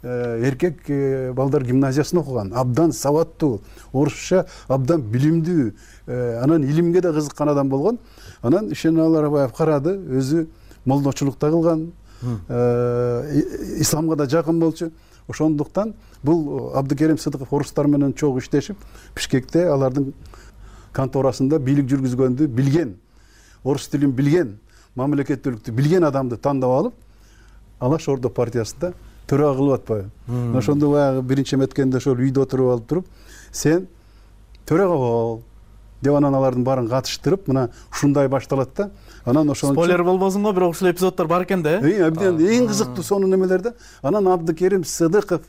эркек балдар гимназиясында окуган, абдан сабаттуу, орусча абдан билимдүү, анан илимге да кызыккан адам болгон. Анан Шенал Арабаев карады, өзү молдочулукта кылган, исламга да жакын болчу. Ошондуктан бул Абдыкерим Сыдыков орустар менен чогуу иштешип, Бишкекте алардын конторасында бийлик жүргүзгөндү билген, орус тилин билген, мамлекеттүүлүктү билген адамды тандап алып, Алаш Ордо партиясында төрага кылып атпайбы. Ошондо баягы биринчи эметкенде ошол үйдө отуруп алып туруп, сен төрага бол деп анан алардын баарын катыштырып, мына ушундай башталат да. Анан ошон спойлер болбосун го, бирок ушул эпизоддор бар экен да. Абдан эң кызыктуу сонун немелерде. Анан Абдыкерим Сыдыков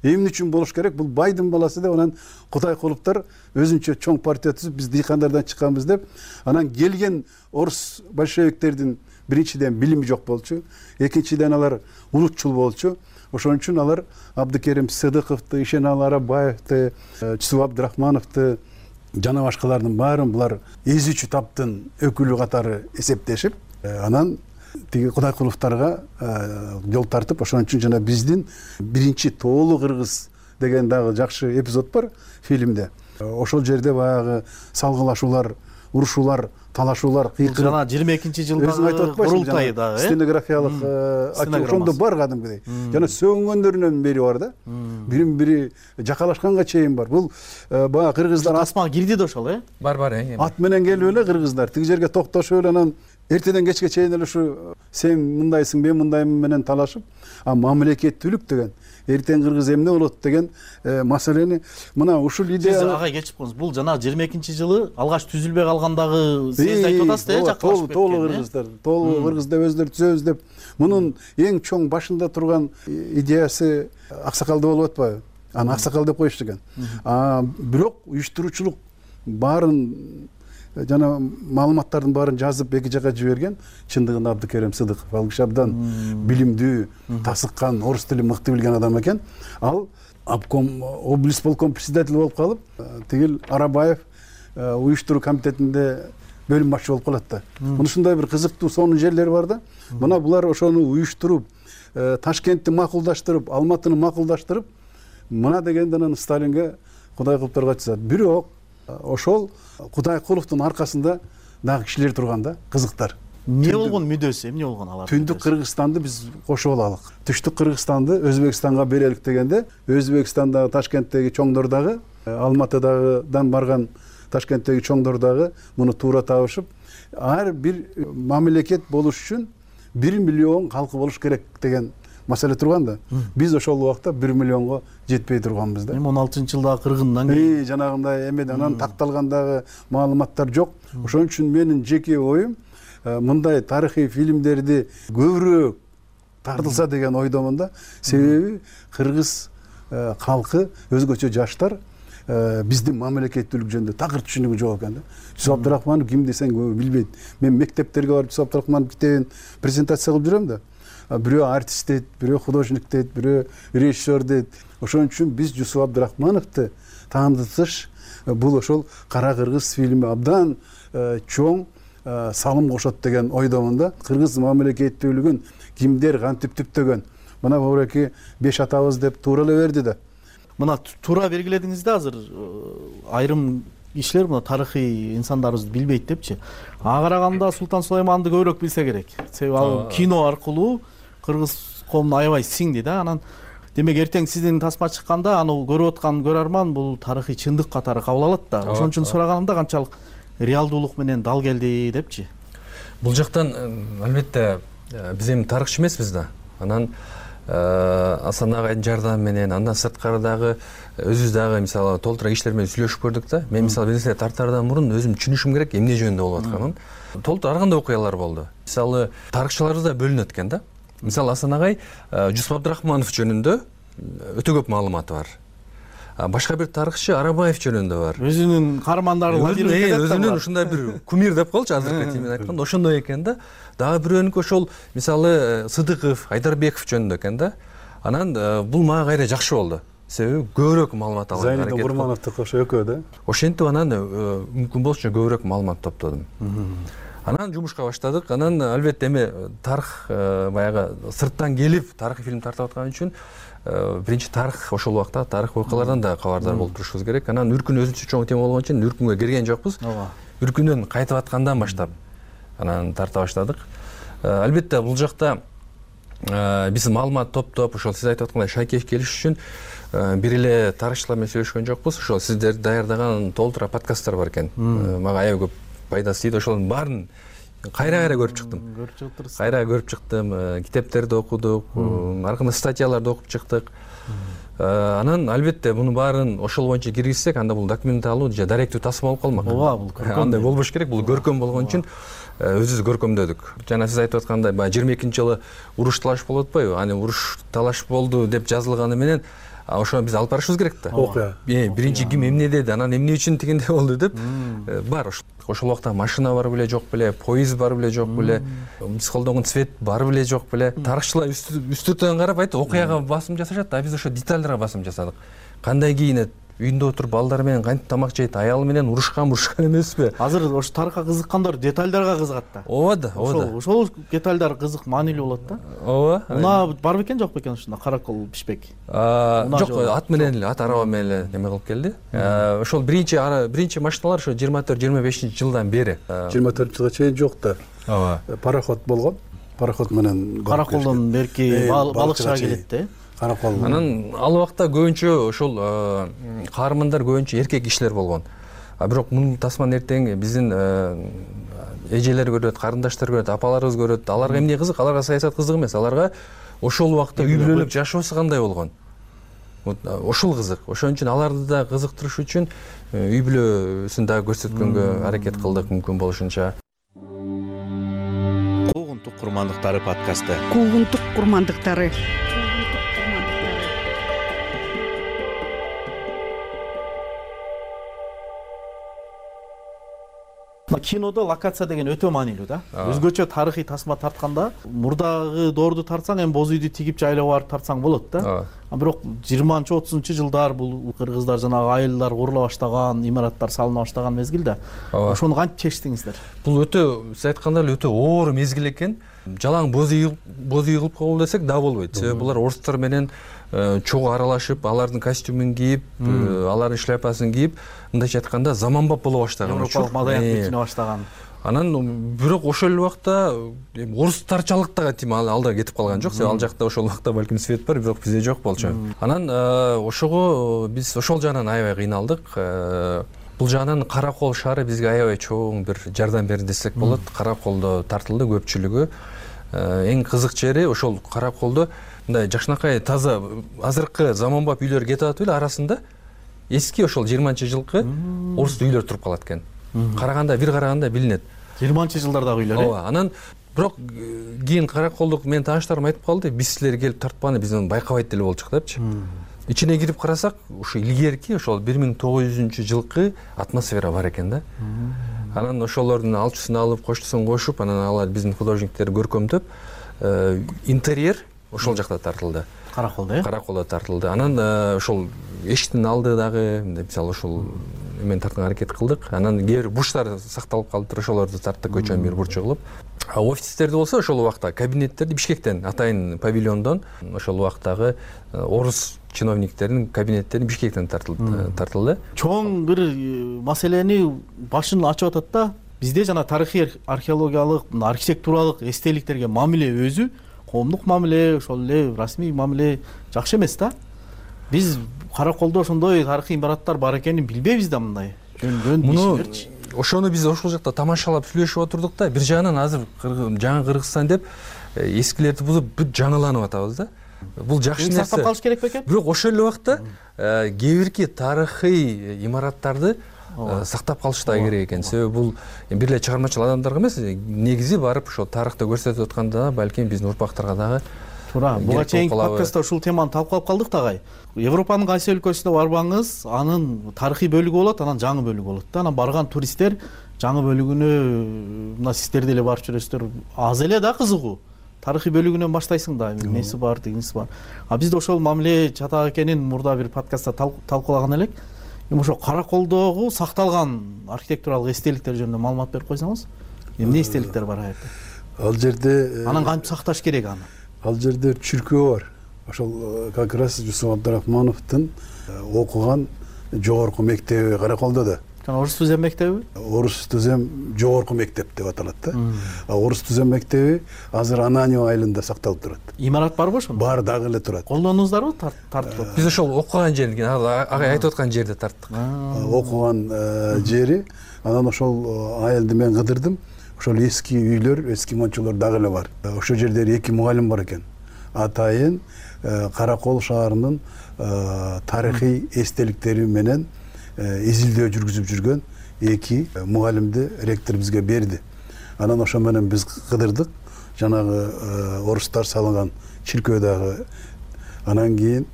эмне үчүн болуш керек? Бул байдын баласы деп, анан Кудайкуловдор өзүнчө чоң партия түзүп, биз дыйкандардан чыкканбыз деп. Анан келген орус большевиктердин биринчиден билими жок болчу, экинчиден алар улутчул болчу. Ошон үчүн алар Абдыкерим Сыдыковду, Шенал Арабаевди, Чусуп Абдрахмановду жана башкалардын баарын булар эзүүчү таптын өкүлү катары эсептешип, анан тиги Кудайкуловторго жол тартып, ошон үчүн жана биздин биринчи тоолуу кыргыз деген дагы жакшы эпизод бар фильмде. Ошол жерде баягы салгылашуулар, урушуулар, талашуулар, кыйкырып. Жана 22-жылдагы курултай дагы, стенографиялык ошондо бар кадимкидей. Жана сөгүнгөндөрүнөн бери бар да. Бирин-бири жакалашканга чейин бар. Бул баягы кыргыздар тасмага кирди да ошол, Бар. Ат менен келип эле кыргыздар тиги жерге токтошуп эле, анан эртеден кечке чейин эле ушу сен мындайсың, мен мындаймын менен талашып, мамлекеттүүлүк деген, эртең кыргыз эмне болот деген маселени мына ушул идея. Сиз ага кечип коңуз. Бул жана 22-жылы алгач түзүлбөй калгандагы сиз айтып атасыз, жакалашып кеткен. Тоолуу кыргыздар, тоолуу кыргыз деп өздөрү түзөбүз деп. Мунун эң чоң башында турган идеясы аксакалда болуп атпайбы? Аны аксакал деп коюшту экен. Бирок уюштуруучулук баарын жана маалыматтардын баарын жазып эки жака жиберген чындыгында Абдыкерим Сыдыков. Ал киши абдан билимдүү, тасыккан, орус тилин мыкты билген адам экен. Ал обком, облисполком председатель болуп калып, тигил Арабаев уюштуруу комитетинде бөлүм башчы болуп калат да. Ушундай бир кызыктуу сонун жерлери бар да. Мына булар ошону уюштуруп, Ташкентти макулдаштырып, Алматыны макулдаштырып, мына дегенде анан Сталинге Кудайкуловторго айтышат. Бирок ошол Кудайкуловдун аркасында дагы кишилер турган да, кызыктар. эмне болгон мүдөсү, эмне болгон алар? Түндүк Кыргызстанды биз кошуп алалык. Түштүк Кыргызстанды Өзбекстанга берелик дегенде, Өзбекстандагы, Ташкенттеги чоңдор дагы, Алматыдагыдан барган Ташкенттеги чоңдор дагы муну туура табышып, ар бир мамлекет болуш үчүн 1 миллион калкы болуш керек деген маселе турган да. Биз ошол убакта 1 миллионго жетпей турганбыз да. Эми 16-жылдагы кыргындан кийин жанагындай эмеден анан такталгандагы маалыматтар жок. Ошон үчүн менин жеке оюм мындай тарыхый фильмдерди көбүрөөк тартылса деген ойдомун да. Себеби кыргыз калкы, өзгөчө жаштар биздин мамлекеттүүлүк жөнүндө такыр түшүнүгү жок экен да. Жусуп Абдрахманов ким десең көбү билбейт. Мен мектептерге барып Жусуп Абдрахманов китебин презентация кылып жүрөм да. Бирөө артист дейт, бирөө художник дейт, бирөө режиссер дейт. Ошон үчүн биз Жусуп Абдрахмановду таандытыш бул ошол Кара кыргыз фильми абдан чоң салым кошот деген ойдомун да. Кыргыз мамлекеттүүлүгүн кимдер кантип түптөгөн? Мына Бобуреки 5 атабыз деп туура эле берди да. Мына туура белгиледиңиз да, азыр айрым кишилер мына тарыхый инсандарыбызды билбейт депчи. Ага караганда Султан Сулайманды көбүрөөк билсе керек. Себеби ал кино аркылуу кыргыз коомуна аябай сиңди да. Анан демек эртең сиздин тасма чыкканда аны көрүп аткан көрөрман бул тарыхый чындык катары кабыл алат да. Ошон үчүн сураганымда канчалык реалдуулук менен дал келди депчи. Бул жактан албетте биз эми тарыхчы эмеспиз да. Анан Асан агайдын жардамы менен, андан сырткары дагы өзүбүз дагы мисалы толтура кишилер менен сүйлөшүп көрдүк да. Мен мисалы бир нерсе тартаардан мурун өзүм түшүнүшүм керек эмне жөнүндө болуп атканын. Толтура ар кандай окуялар болду. Мисалы тарыхчыларыбыз да бөлүнөт экен да. Мисалы Асан агай Жусуп Абдрахманов жөнүндө өтө көп маалыматы бар. Башка бир тарыхчы Арабаев жөнүндө бар. Өзүнүн каармандары өзүнүн ушундай бир кумир деп коелучу азыркы тил менен айтканда, ошондой экен да. Дагы бирөөнүкү ошол мисалы Сыдыков, Айдарбеков жөнүндө экен да. Анан бул мага кайра жакшы болду. Себеби көбүрөөк маалымат алганга аракет кылдым. Зайнидин Курмановдуку ошо экөө да. Ошентип анан мүмкүн болушунча көбүрөөк маалымат топтодум. Анан жумушка баштадык. Анан албетте эми тарых баягы сырттан келип тарыхый фильм тартып аткан үчүн биринчи тарых ошол убакта тарых окуялардан да кабардар болуп турушубуз керек. Анан Үркүн өзүнчө чоң тема болгон үчүн Үркүнгө кирген жокпуз. Үркүндөн кайтып аткандан баштап анан тарта баштадык. Албетте бул жакта биз маалымат топтоп, ошол сиз айтып аткандай шайкеш келиш үчүн бир эле тарыхчылар менен сөйлөшкөн жокпуз. Ошол сиздер даярдаган толтура подкасттар бар экен. Мага аябай көп пайдасы тийди. Ошонун баарын кайра көрүп чыктым. Кайра көрүп чыктым, китептерди окудук, аркында статьяларды окуп чыктык. Анан албетте мунун баарын ошол боюнча киргизсек, анда бул документалдуу же даректүү тасма болуп калмак. Ооба, бул көркөм. Андай болбош керек, бул көркөм болгон үчүн өзүбүз көркөмдөдүк. Жана сиз айтып аткандай, баягы 22-жылы уруш талаш болуп атпайбы? Аны уруш талаш болду деп жазылганы менен ошону биз алып барышыбыз керек да. Окуя. Биринчи ким эмне деди, анан эмне үчүн тигиндей болду деп бар. Ошол убакта машина бар беле, жок беле, поезд бар беле, жок беле, биз колдонгон цвет бар беле, жок беле. Тарыхчылар үстүртөн карап айтты, окуяга басым жасашат, а биз ошо детальдарга басым жасадык. Кандай кийинет, үйүндө отуруп балдар менен кантип тамак жейт, аялы менен урушкан эмеспи? Азыр ошо тарыхка кызыккандар детальдарга кызыгат да. Ооба да, ооба да. Ошол детальдар кызык, маанилүү болот да. Ооба. Мына бар бекен, жок бекен ушунда каракол бишпек? Жок, ат менен эле, ат араба менен эле неме кылып келди. Ошол биринчи машиналар ошо 24-25 жылдан бери. 24 жылга чейин жок да. Ооба. Пароход болгон. Пароход менен караколдон берки балыкчыга келет да. Анан ал убакта көбүнчө ошол каармандар көбүнчө эркек кишилер болгон. А бирок мунун тасманы эртең биздин эжелер көрөт, карындаштар көрөт, апаларыбыз көрөт. Аларга эмне кызык? Аларга саясат кызык эмес. Аларга ошол убакта үй бүлөлүк жашоосу кандай болгон? Ошол кызык. Ошон үчүн аларды да кызыктырыш үчүн үй бүлөсүн да көрсөткөнгө аракет кылдык мүмкүн болушунча. Куугунтук курмандыктары подкасты. Куугунтук курмандыктары. Кинодо локация деген өтө маанилүү да. Өзгөчө тарыхый тасма тартканда мурдагы доорду тартсаң, эми боз үйдү тигип жайлап барып тартсаң болот да. Бирок 20-30 жылдар бул кыргыздар жанагы айылдар курула баштаган, имараттар салына баштаган мезгилде. Ошону кантип чечтиңиздер? Бул өтө, сиз айткандай эле өтө оор мезгил экен. Жалаң боз үй кылып коелу десек да болбойт. Себеби булар орустар менен чогуу аралашып, алардын костюмун кийип, алардын шляпасын кийип, мындайча айтканда заманбап боло баштаган. Европалык маданият бүтүнө баштаган. Анан бирок ошол эле убакта орустарчалык да тим алда кетип калган жок. Себеби ал жакта ошол убакта балким свет бар, бирок бизде жок болчу. Анан ошого биз ошол жагынан аябай кыйналдык. Бул жагынан Каракол шаары бизге аябай чоң бир жардам берди десек болот. Караколдо тартылды көпчүлүгү. Эң кызык жери ошол Караколдо мындай жакшынакай таза азыркы заманбап үйлөр кетип атып эле арасында эски ошол 20-жылкы орус үйлөр туруп калат экен. Караганда бир караганда билинет. 20-жылдардагы үйлөр. Ооба. Анан бирок кийин Караколдук менин тааныштарым айтып калды, биз силер келип тартпаганы биз аны байкабайт деле болчук депчи. Ичине кирип карасак, ошо илгерки ошол 1900-жылкы атмосфера бар экен да. Анан ошолордун алчысын алып, коштусун кошуп, анан алар биздин художниктер көркөмдөп, интерьер ошол жакта тартылды. Караколдо, э? Караколдо тартылды. Анан ошол эшиктин алды дагы, мисалы ошол эмен тартканга аракет кылдык. Анан кээ бир бурчтар сакталып калыптыр, ошолорду тарттык көчөнүн бир бурчу кылып. Офистерди болсо ошол убакта кабинеттерди Бишкектен, атайын павильондон ошол убактагы орус чиновниктердин кабинеттерин Бишкектен тартылды. Чоң бир маселени башын ачып атат да. Бизде жана тарыхый археологиялык, архитектуралык эстеликтерге мамиле өзү коомдук мамиле, ошол эле расмий мамиле жакшы эмес да. Биз Караколдо ошондой тарыхый имараттар бар экенин билбейбиз да мындай. Жөн ишмерчи. Ошону биз ошол жакта тамашалап сүйлөшүп отурдук да. Бир жагынан азыр жаңы Кыргызстан деп эскилерди бузуп бүт жаңыланып атабыз да. Бул жакшы нерсе. Сактап калыш керек бекен? Бирок ошол эле убакта кээ бирки тарыхый имараттарды сактап калыш да керек экен. Себеби бул бир эле чыгармачыл адамдарга эмес, негизи барып ошол тарыхты көрсөтүп атканда балким биздин урпактарга дагы туура. Буга чейинки подкастта ушул теманы талкуулап калдык дагы. Европанын кайсы өлкөсүнө барбаңыз, анын тарыхый бөлүгү болот, анан жаңы бөлүгү болот да. Анан барган туристтер жаңы бөлүгүнө мына сиздер деле барып жүрөсүздөр, аз эле да кызыгуу. Тарыхый бөлүгүнөн баштайсың да, эмеси бар, дегенси бар. Бизде ошол мамиле чатак экенин мурда бир подкастта талкуулаган элек. Эми ошо Караколдогу сакталган архитектуралык эстеликтер жөнүндө маалымат берип койсоңуз, эмне эстеликтер бар аерде? Ал жерде анан кантип сакташ керек аны? Ал жерде чүркөө бар. Ошол как раз Жусуп Абдрахмановдун окуган жогорку мектеби Караколдо да. Орус түзем мектеби? Орус түзем жогорку мектеп деп аталат да. Орус түзем мектеби азыр Ананьево айылында сакталып турат. Имарат барбы ошондо? Бар, дагы эле турат. Колдондуңуздарбы тартып? Биз ошол окуган жерин, агай айтып аткан жерде тарттык. Окуган жери, анан ошол айылды мен кыдырдым. Ошол эски үйлөр, эски мончолор дагы эле бар. Ошол жерде 2 мугалим бар экен. Атайын Каракол шаарынын тарыхый эстеликтери менен изилдөө жүргүзүп жүргөн 2 мугалимди ректор бизге берди. Анан ошо менен биз кыдырдык. Жанагы орустар салган чиркөө дагы. Анан кийин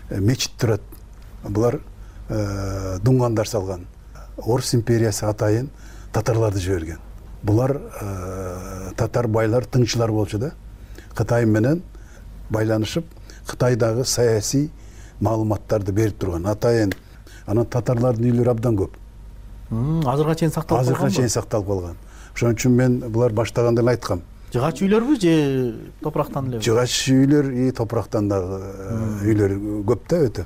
мечит турат. Булар дуңгандар салган. Орус империясы атайын татарларды жиберген. Булар татар байлар, тыңчылар болчу да. Кытай менен байланышып, Кытайдагы саясий маалыматтарды берип турган. Атайын анан татарлардын үйлөрү абдан көп. Азырга чейин сакталып калган. Азырга чейин сакталып калган. Ошон үчүн мен булар баштаганда эле айткам. Жыгач үйлөрбү же топурактан элеби? Жыгач үйлөр и топурактан дагы үйлөр көп да өтө.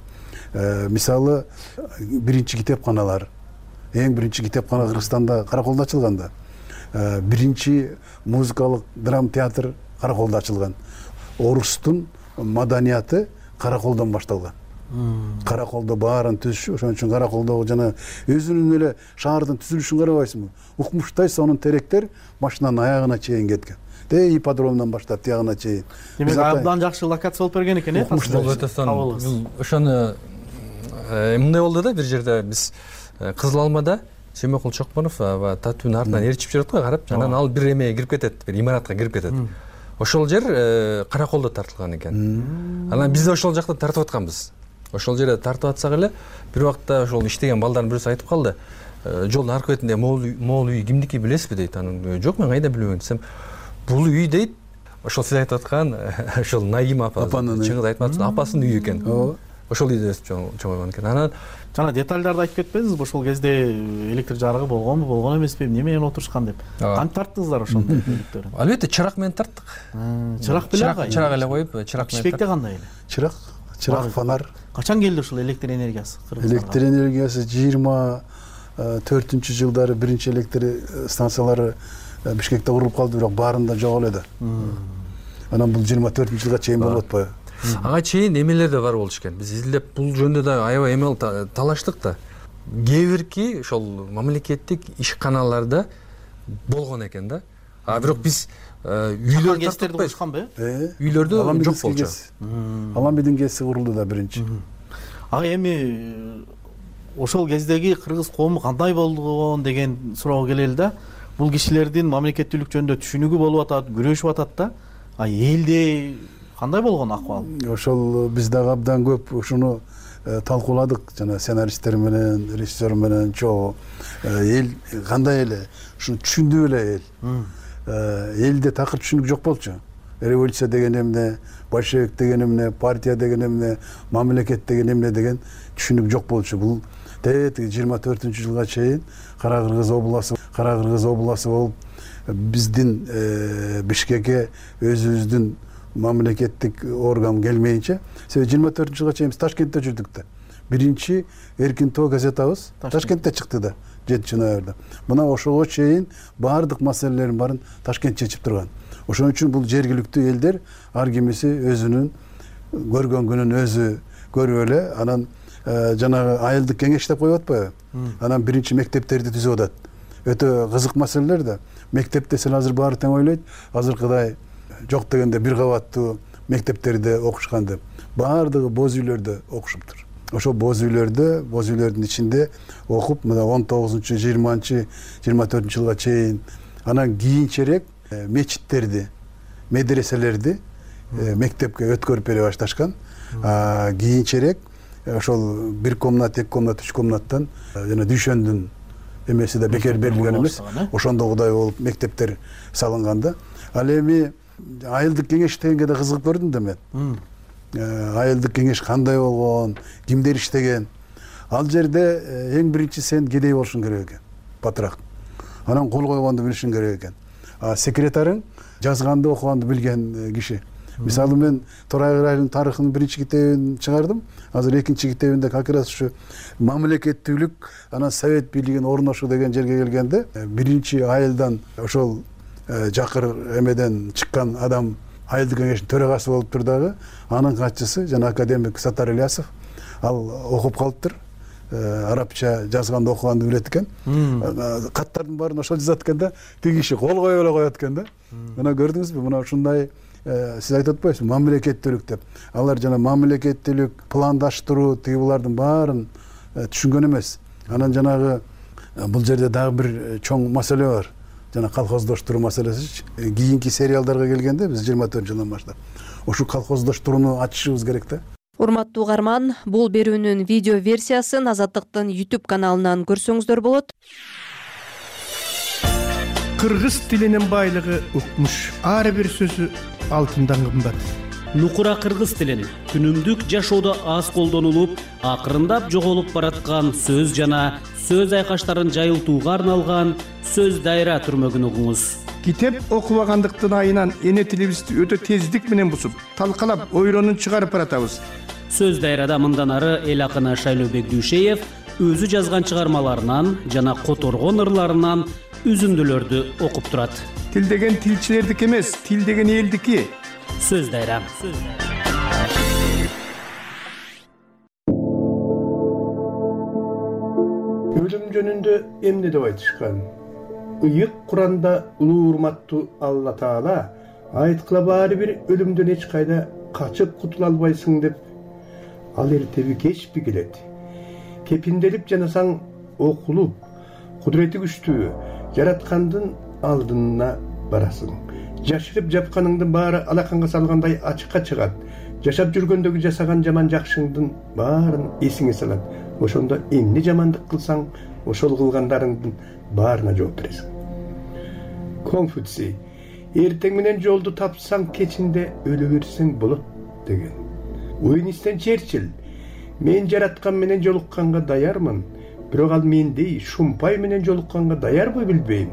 Мисалы, биринчи китепканалар, эң биринчи китепкана Кыргызстанда Караколдо ачылган да. Биринчи музыкалык драма театр Караколдо ачылган. Орустун маданияты Караколдон башталган. Караколдо баарын түзүшү, ошон үчүн Караколдо жана өзүнүн эле шаардын түзүлүшүн карабайсыңбы? Укмуштай сонун теректер башынан аягына чейин кеткен. Ипподромдон баштап тиягына чейин. Демек абдан жакшы локация болуп берген экен, э? Ошону мындай болду да, бир жерде биз Кызыл Алмада Семекул Чокмонов татуунун артынан ээрчип жүрөт го, карап, анан ал бир эмеге кирип кетет, бир имаратка кирип кетет. Ошол жер Караколдо тартылган экен. Анан биз ошол жакта тартып атканбыз. Ошол жерде тартып атсак эле, бир убакта ошол иштеген балдардын бирөөсү айтып калды. Жолдун аркы бетинде могул үй кимдики билесизби дейт. Анан жок, мен кайда билебейм десем, бул үй дейт. Ошол сиз айтып аткан ошол Наим апа, чыңгыз айтматсыз, апасынын үйү экен. Ошол үйдө өсүп чоңойгон экен. Анан жана детальдарды айтып кетпедиңизби? Ошол кезде электр жарыгы болгонбу, болгон эмеспи, эмне менен отурушкан деп. Кантип тарттыңыздар ошондой үйлөрдү? Албетте чырак менен тарттык. Чырак беле? Чырак эле коюп, чырак менен. Бишкекте кандай эле? Чырак, фонар. Качан келди ушул электр энергиясы Кыргызстанга? Электр энергиясы 4-жылдары биринчи электр станциялары Бишкекте курулуп калды, бирок баарында жок эле да. Анан бул 24-жылга чейин болуп атпайбы? Ага чейин эмелер да бар болчу экен. Биз изилдеп бул жөнүндө да аябай эмел талаштык да. Кээ бирки ошол мамлекеттик ишканаларда болгон экен да. А бирок биз үйлөрдө курушканбы? Үйлөрдө жок болчу. Аламбидин КС курулду да биринчи. Ага эми ошол кездеги кыргыз коому кандай болгон деген суроого келели да. Бул кишилердин мамлекеттүүлүк жөнүндө түшүнүгү болуп атат, күрөшүп атат да. А элде кандай болгон акыбал? Ошол биз дагы абдан көп ушуну талкууладык, жана сценаристтер менен, режиссер менен чогуу. Эл кандай эле ушуну түшүндү эле эл. Элде такыр түшүнүк жок болчу. Революция деген эмне, большевик деген эмне, партия деген эмне, мамлекет деген эмне деген түшүнүк жок болчу. Бул тетиги 24-жылга чейин Кара Кыргыз областы болуп биздин Бишкекке өзүбүздүн мамлекеттик орган келмейинче, себеби 24-жылга чейин биз Ташкентте жүрдүк да. Биринчи Эркин Тоо газетабыз Ташкентте чыкты да, 7-ноябрда. Мына ошого чейин баардык маселелерин баарын Ташкент чечип турган. Ошон үчүн бул жергиликтүү элдер ар кимиси өзүнүн көргөн күнүн өзү көрүп эле, анан жанагы айылдык кеңеш деп коюп атпайбы? Анан биринчи мектептерди түзүп атат. Өтө кызык маселелер да. Мектеп десең азыр баары тең ойлойт. Азыркыдай жок дегенде бир кабаттуу мектептерде окушкан деп. Баардыгы боз үйлөрдө окушуптур. Ошол боз үйлөрдүн ичинде окуп, мына 19-20 24-жылга чейин, анан кийинчерээк мечиттерди, медреселерди мектепке өткөрүп бере башташкан. Кийинчерээк ошол 1 комнат, 2 комнат, 3 комнаттан жана дүйшөндүн эмеси да бекер берилген эмес. Ошондогудай болуп мектептер салынган да. Ал эми айылдык кеңеш дегенге да кызыгып көрдүм да мен. Айылдык кеңеш кандай болгон, кимдер иштеген. Ал жерде эң биринчи сен кедей болушуң керек экен, батыраак. Анан кол койгонду билишиң керек экен. Секретарың жазганды, окуганды билген киши. Мисалы мен Торай Кырайдын тарыхынын биринчи китебин чыгардым. Азыр экинчи китебинде как раз ушу мамлекеттүүлүк, анан совет бийлигин орношуу деген жерге келгенде, биринчи айылдан ошол жакыр эмеден чыккан адам айылдык кеңештин төрагасы болуптур дагы. Анын катчысы жана академик Саттар Ильясов. Ал окуп калыптыр. Арабча жазганды, окуганды билет экен. Каттардын баарын ошол жазат экен да. Тиги киши кол коюп эле коет экен да. Мына көрдүңүзбү? Мына ушундай сиз айтып атпайсызбы, мамлекеттүүлүк деп. Алар жана мамлекеттүүлүк, пландаштыруу, тиги булардын баарын түшүнгөн эмес. Анан жанагы бул жерде дагы бир чоң маселе бар. Жана колхоздоштуруу маселеси. Кийинки сериалдарга келгенде биз 24-жылдан баштап ошол колхоздоштурууну ачышыбыз керек да. Урматтуу угарман, бул берүүнүн видео версиясын Азаттыктын YouTube каналынан көрсөңүздөр болот. Кыргыз тилинин байлыгы укмуш. Ар бир сөзү алтындан кымбат. Нукура кыргыз тилин күнүмдүк жашоодо аз колдонулуп, акырындап жоголуп бараткан сөз жана сөз айкаштарын жайылтууга арналган сөз дайра түрмөгүн угуңуз. Китеп окубагандыктын айынан эне тилибизди өтө тездик менен бусуп, талкалап, ойронун чыгарып баратабыз. Сөз дайрада мындан ары эл акыны Шайлообек Дүйшеев өзү жазган чыгармаларынан жана которгон ырларынан үзүндүлөрдү окуп турат. Тил деген тилчилердики эмес, тил деген элдики. Сөз дайра. Өлүм жөнүндө эмне деп айтышкан? Ыйык Куранда улуу урматтуу Алла Таала айткыла баары бир өлүмдөн эч кайда качып кутула албайсың деп. Ал эртеби кечпи келет. Кепинделип жанасаң окулуп, кудурети күчтүү жараткандын алдына барасың. Жашырып жапканыңдын баары алаканга салгандай ачыкка чыгат. Жашап жүргөндөгү жасаган жаман жакшыңдын баарын эсиңе салат. Ошондо эмне жамандык кылсаң, ошол кылгандарыңдын баарына жооп бересиң. Конфуций: эртең менен жолду тапсаң, кечинде өлө берсең болот деген. Уинстон Черчилль: мен жараткан менен жолукканга даярмын, бирок ал мендей шумпай менен жолукканга даярбы билбейм.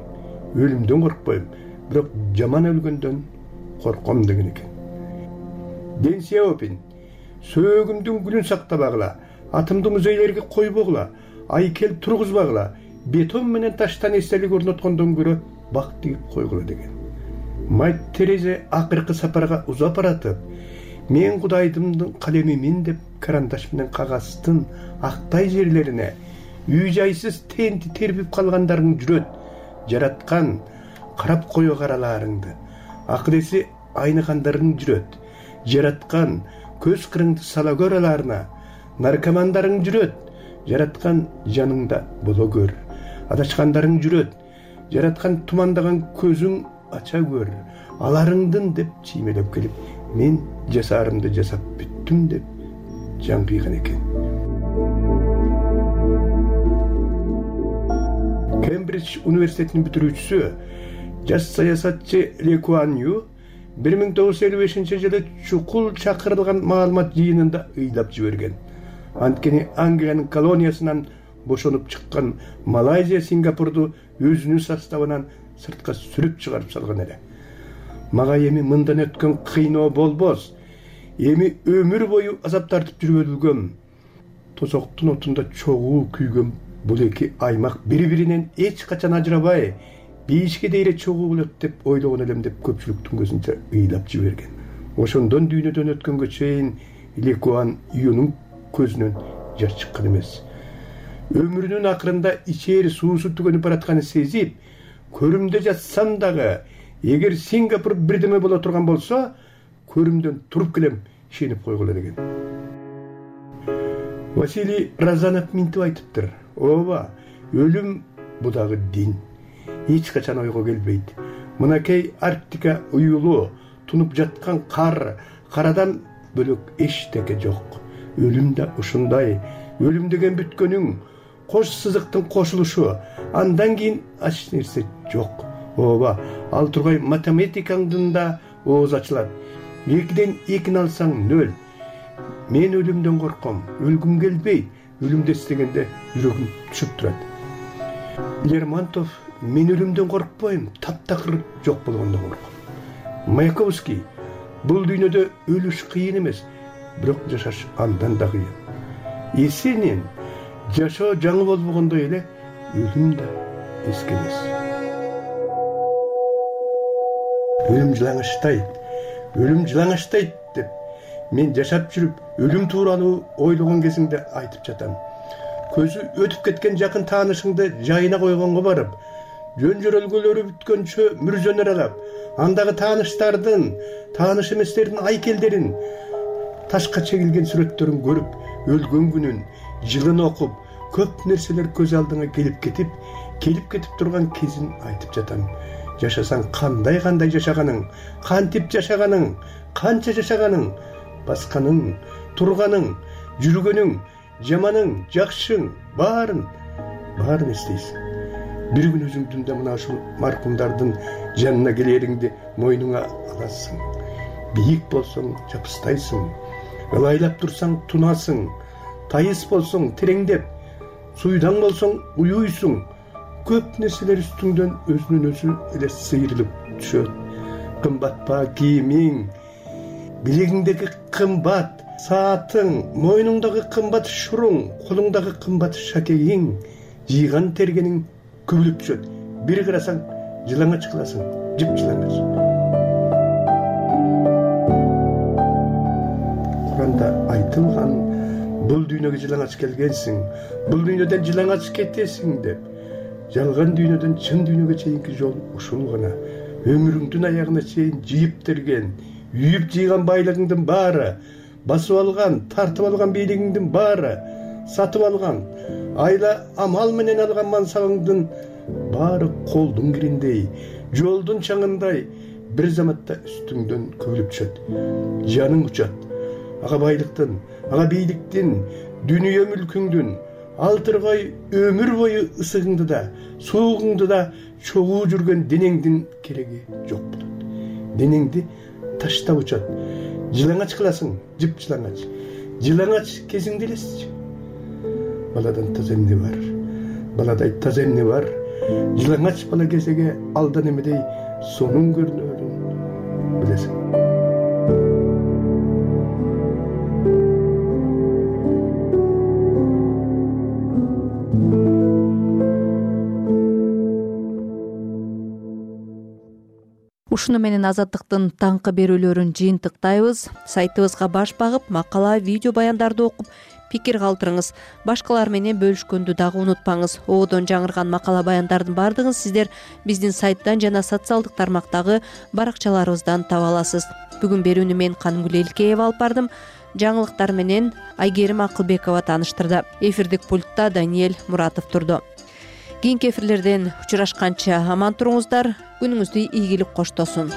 Өлүмдөн коркпойм, бирок жаман өлгөндөн корком деген экен. Дэн Сяопин: сөөгүмдүн гүлүн сактабагыла, атымды музейлерге койбогула, айкел тургузбагыла, бетон менен таштан эстелик орноткондон көрө бак тигип койгула деген. Майт Терезе акыркы сапарга узап баратып, мен Кудайдымдын калемимин деп карандаш менен кагаздын актай жерлерине үй жайсыз тенти тербип калгандарың жүрөт, жараткан карап кое караларыңды, акыл-эси айныгандарың жүрөт, жараткан көз кырыңды сала көраларына, наркомандарың жүрөт, жараткан жаныңда боло көр, адашкандарың жүрөт, жараткан тумандаган көзүң ача көр, аларыңдын деп чиймелеп келип, мен жасаарымды жасап бүттүм деп жан кыйган экен. Кембридж университетинин бүтүрүүчүсү, жаш саясатчы Ли Куан Ю 1955 жылы чукул чакырылган маалымат жыйынында ыйлап жиберген. Анткени Англиянын колониясынан бошонуп чыккан Малайзия Сингапурду өзүнүн составынан сыртка сүрүп чыгарып салган эле. Мага эми мындан өткөн кыйноо болбос, эми өмүр бою азап тартып жүрүп тозоктун отунда чогуу күйгөн бул эки аймак бири-биринен эч качан ажырабай, бейишке дейре чогуу болот деп ойлогон элем деп көпчүлүктүн көзүнчө ыйлап жиберген. Ошондон дүйнөдөн өткөнгө чейин Ли Куан Юнун көзүнөн жаш чыккан эмес. Өмүрүнүн акырында ичери суусу түгөнүп баратканын сезип, көрүмдө жатсам дагы, эгер Сингапур бирдеме боло турган болсо, көрүмдөн туруп келем, ишенип койгула деген. Василий Разанов минтип айтыптыр. Ооба, өлүм бу дагы дин. Эч качан ойго келбейт. Мынакей Арктика уюлу, тунуп жаткан карадан бөлөк эчтеке жок. Өлүм да ушундай. Өлүм деген бүткөнүң, кош сызыктын кошулушу, андан кийин ач нерсе жок. Ооба, ал тургай математикаңдын да ооз ачылат. 2ден 2 алсаң 0. Мен өлүмдөн корком, өлгүм келбейт. Өлүмдү эстегенде жүрөгүм түшүп турат. Лермонтов, мен өлүмдөн коркпойм, таптакыр жок болгондон корком. Маяковский, бул дүйнөдө өлүш кыйын эмес, бирок жашаш андан да кыйын. Есенин, жашоо жаңы болбогондой эле, өлүм да эски эмес. Өлүм жылаңачтайт деп мен жашап жүрүп, өлүм тууралуу ойлогон кезиңде айтып жатам. Көзү өтүп кеткен жакын таанышыңды жайына койгонго барып, жөн жөрөлгөлөрү бүткөнчө мүрзөнү аралап, андагы тааныштардын, тааныш эместердин айкелдерин, ташка чегилген сүрөттөрүн көрүп, өлгөн күнүн, жылын окуп, көп нерселер көз алдыңа келип кетип турган кезин айтып жатам. Жашасаң кандай жашаганың, кантип жашаганың, канча жашаганың, басканың, турганың, жүргөнүң, жаманың, жакшың, баарын эстейсиң. Бир күн өзүңдүн да мына ушул маркумдардын жанына келериңди мойнуңа аласың. Бийик болсоң жапыстайсың, ылайлап турсаң тунасың, тайыс болсоң тереңдеп, суйдаң болсоң уюйсуң. Көп нерселер үстүңдөн өзүнөн өзү эле сыйрылып түшөт. Кымбат па кийимиң, билегиңдеги кымбат саатың, мойнуңдагы кымбат шуруң, колуңдагы кымбат шакегиң, жыйган тергениң күбүлүп түшөт. Бир карасаң жылаңач кыласың, жыпжылаңач. Куранда айтылган, бул дүйнөгө жылаңач келгенсиң, бул дүйнөдөн жылаңач кетесиң деп. Жалган дүйнөдөн чын дүйнөгө чейинки жол ушул гана. Өмүрүңдүн аягына чейин жыйып терген, үйүп жыйган байлыгыңдын баары, басып алган, тартып алган бийлигиңдин баары, сатып алган, айла амал менен алган мансабыңдын баары колдун кириндей, жолдун чаңындай бир заматта үстүңдөн көбүлүп түшөт. Жаның учат. Ага байлыктын, ага бийликтин, дүнүйө мүлкүңдүн, ал тургай өмүр бою ысыгыңды да, суугуңду да чогуу жүргөн денеңдин кереги жок болот. Денеңди таштап учат. Жылаңач кыласың, жыпжылаңач. Жылаңач кезиңди элесичи. Баладан таза эмне бар? Баладай таза эмне бар? Жылаңач бала кезеге алдан эмедей сонун көрүнөрүн билесиң. ушуну менен азаттыктын таңкы берүүлөрүн жыйынтыктайбыз. Сайтыбызга баш багып, макала, видео баяндарды окуп, пикир калтырыңыз. Башкалар менен бөлүшкөндү дагы унутпаңыз. Оодон жаңырган макала баяндардын баардыгын сиздер биздин сайттан жана социалдык тармактагы баракчаларыбыздан таба аласыз. Бүгүн берүүнү мен Канымгүл Элкеева алып бардым. Жаңылыктар менен Айгерим Акылбекова тааныштырды. Эфирдик пультта Даниэль Муратов турду. Кийинки эфирлерден учурашканча аман туруңуздар. Күнүңүздү ийгилик коштосун.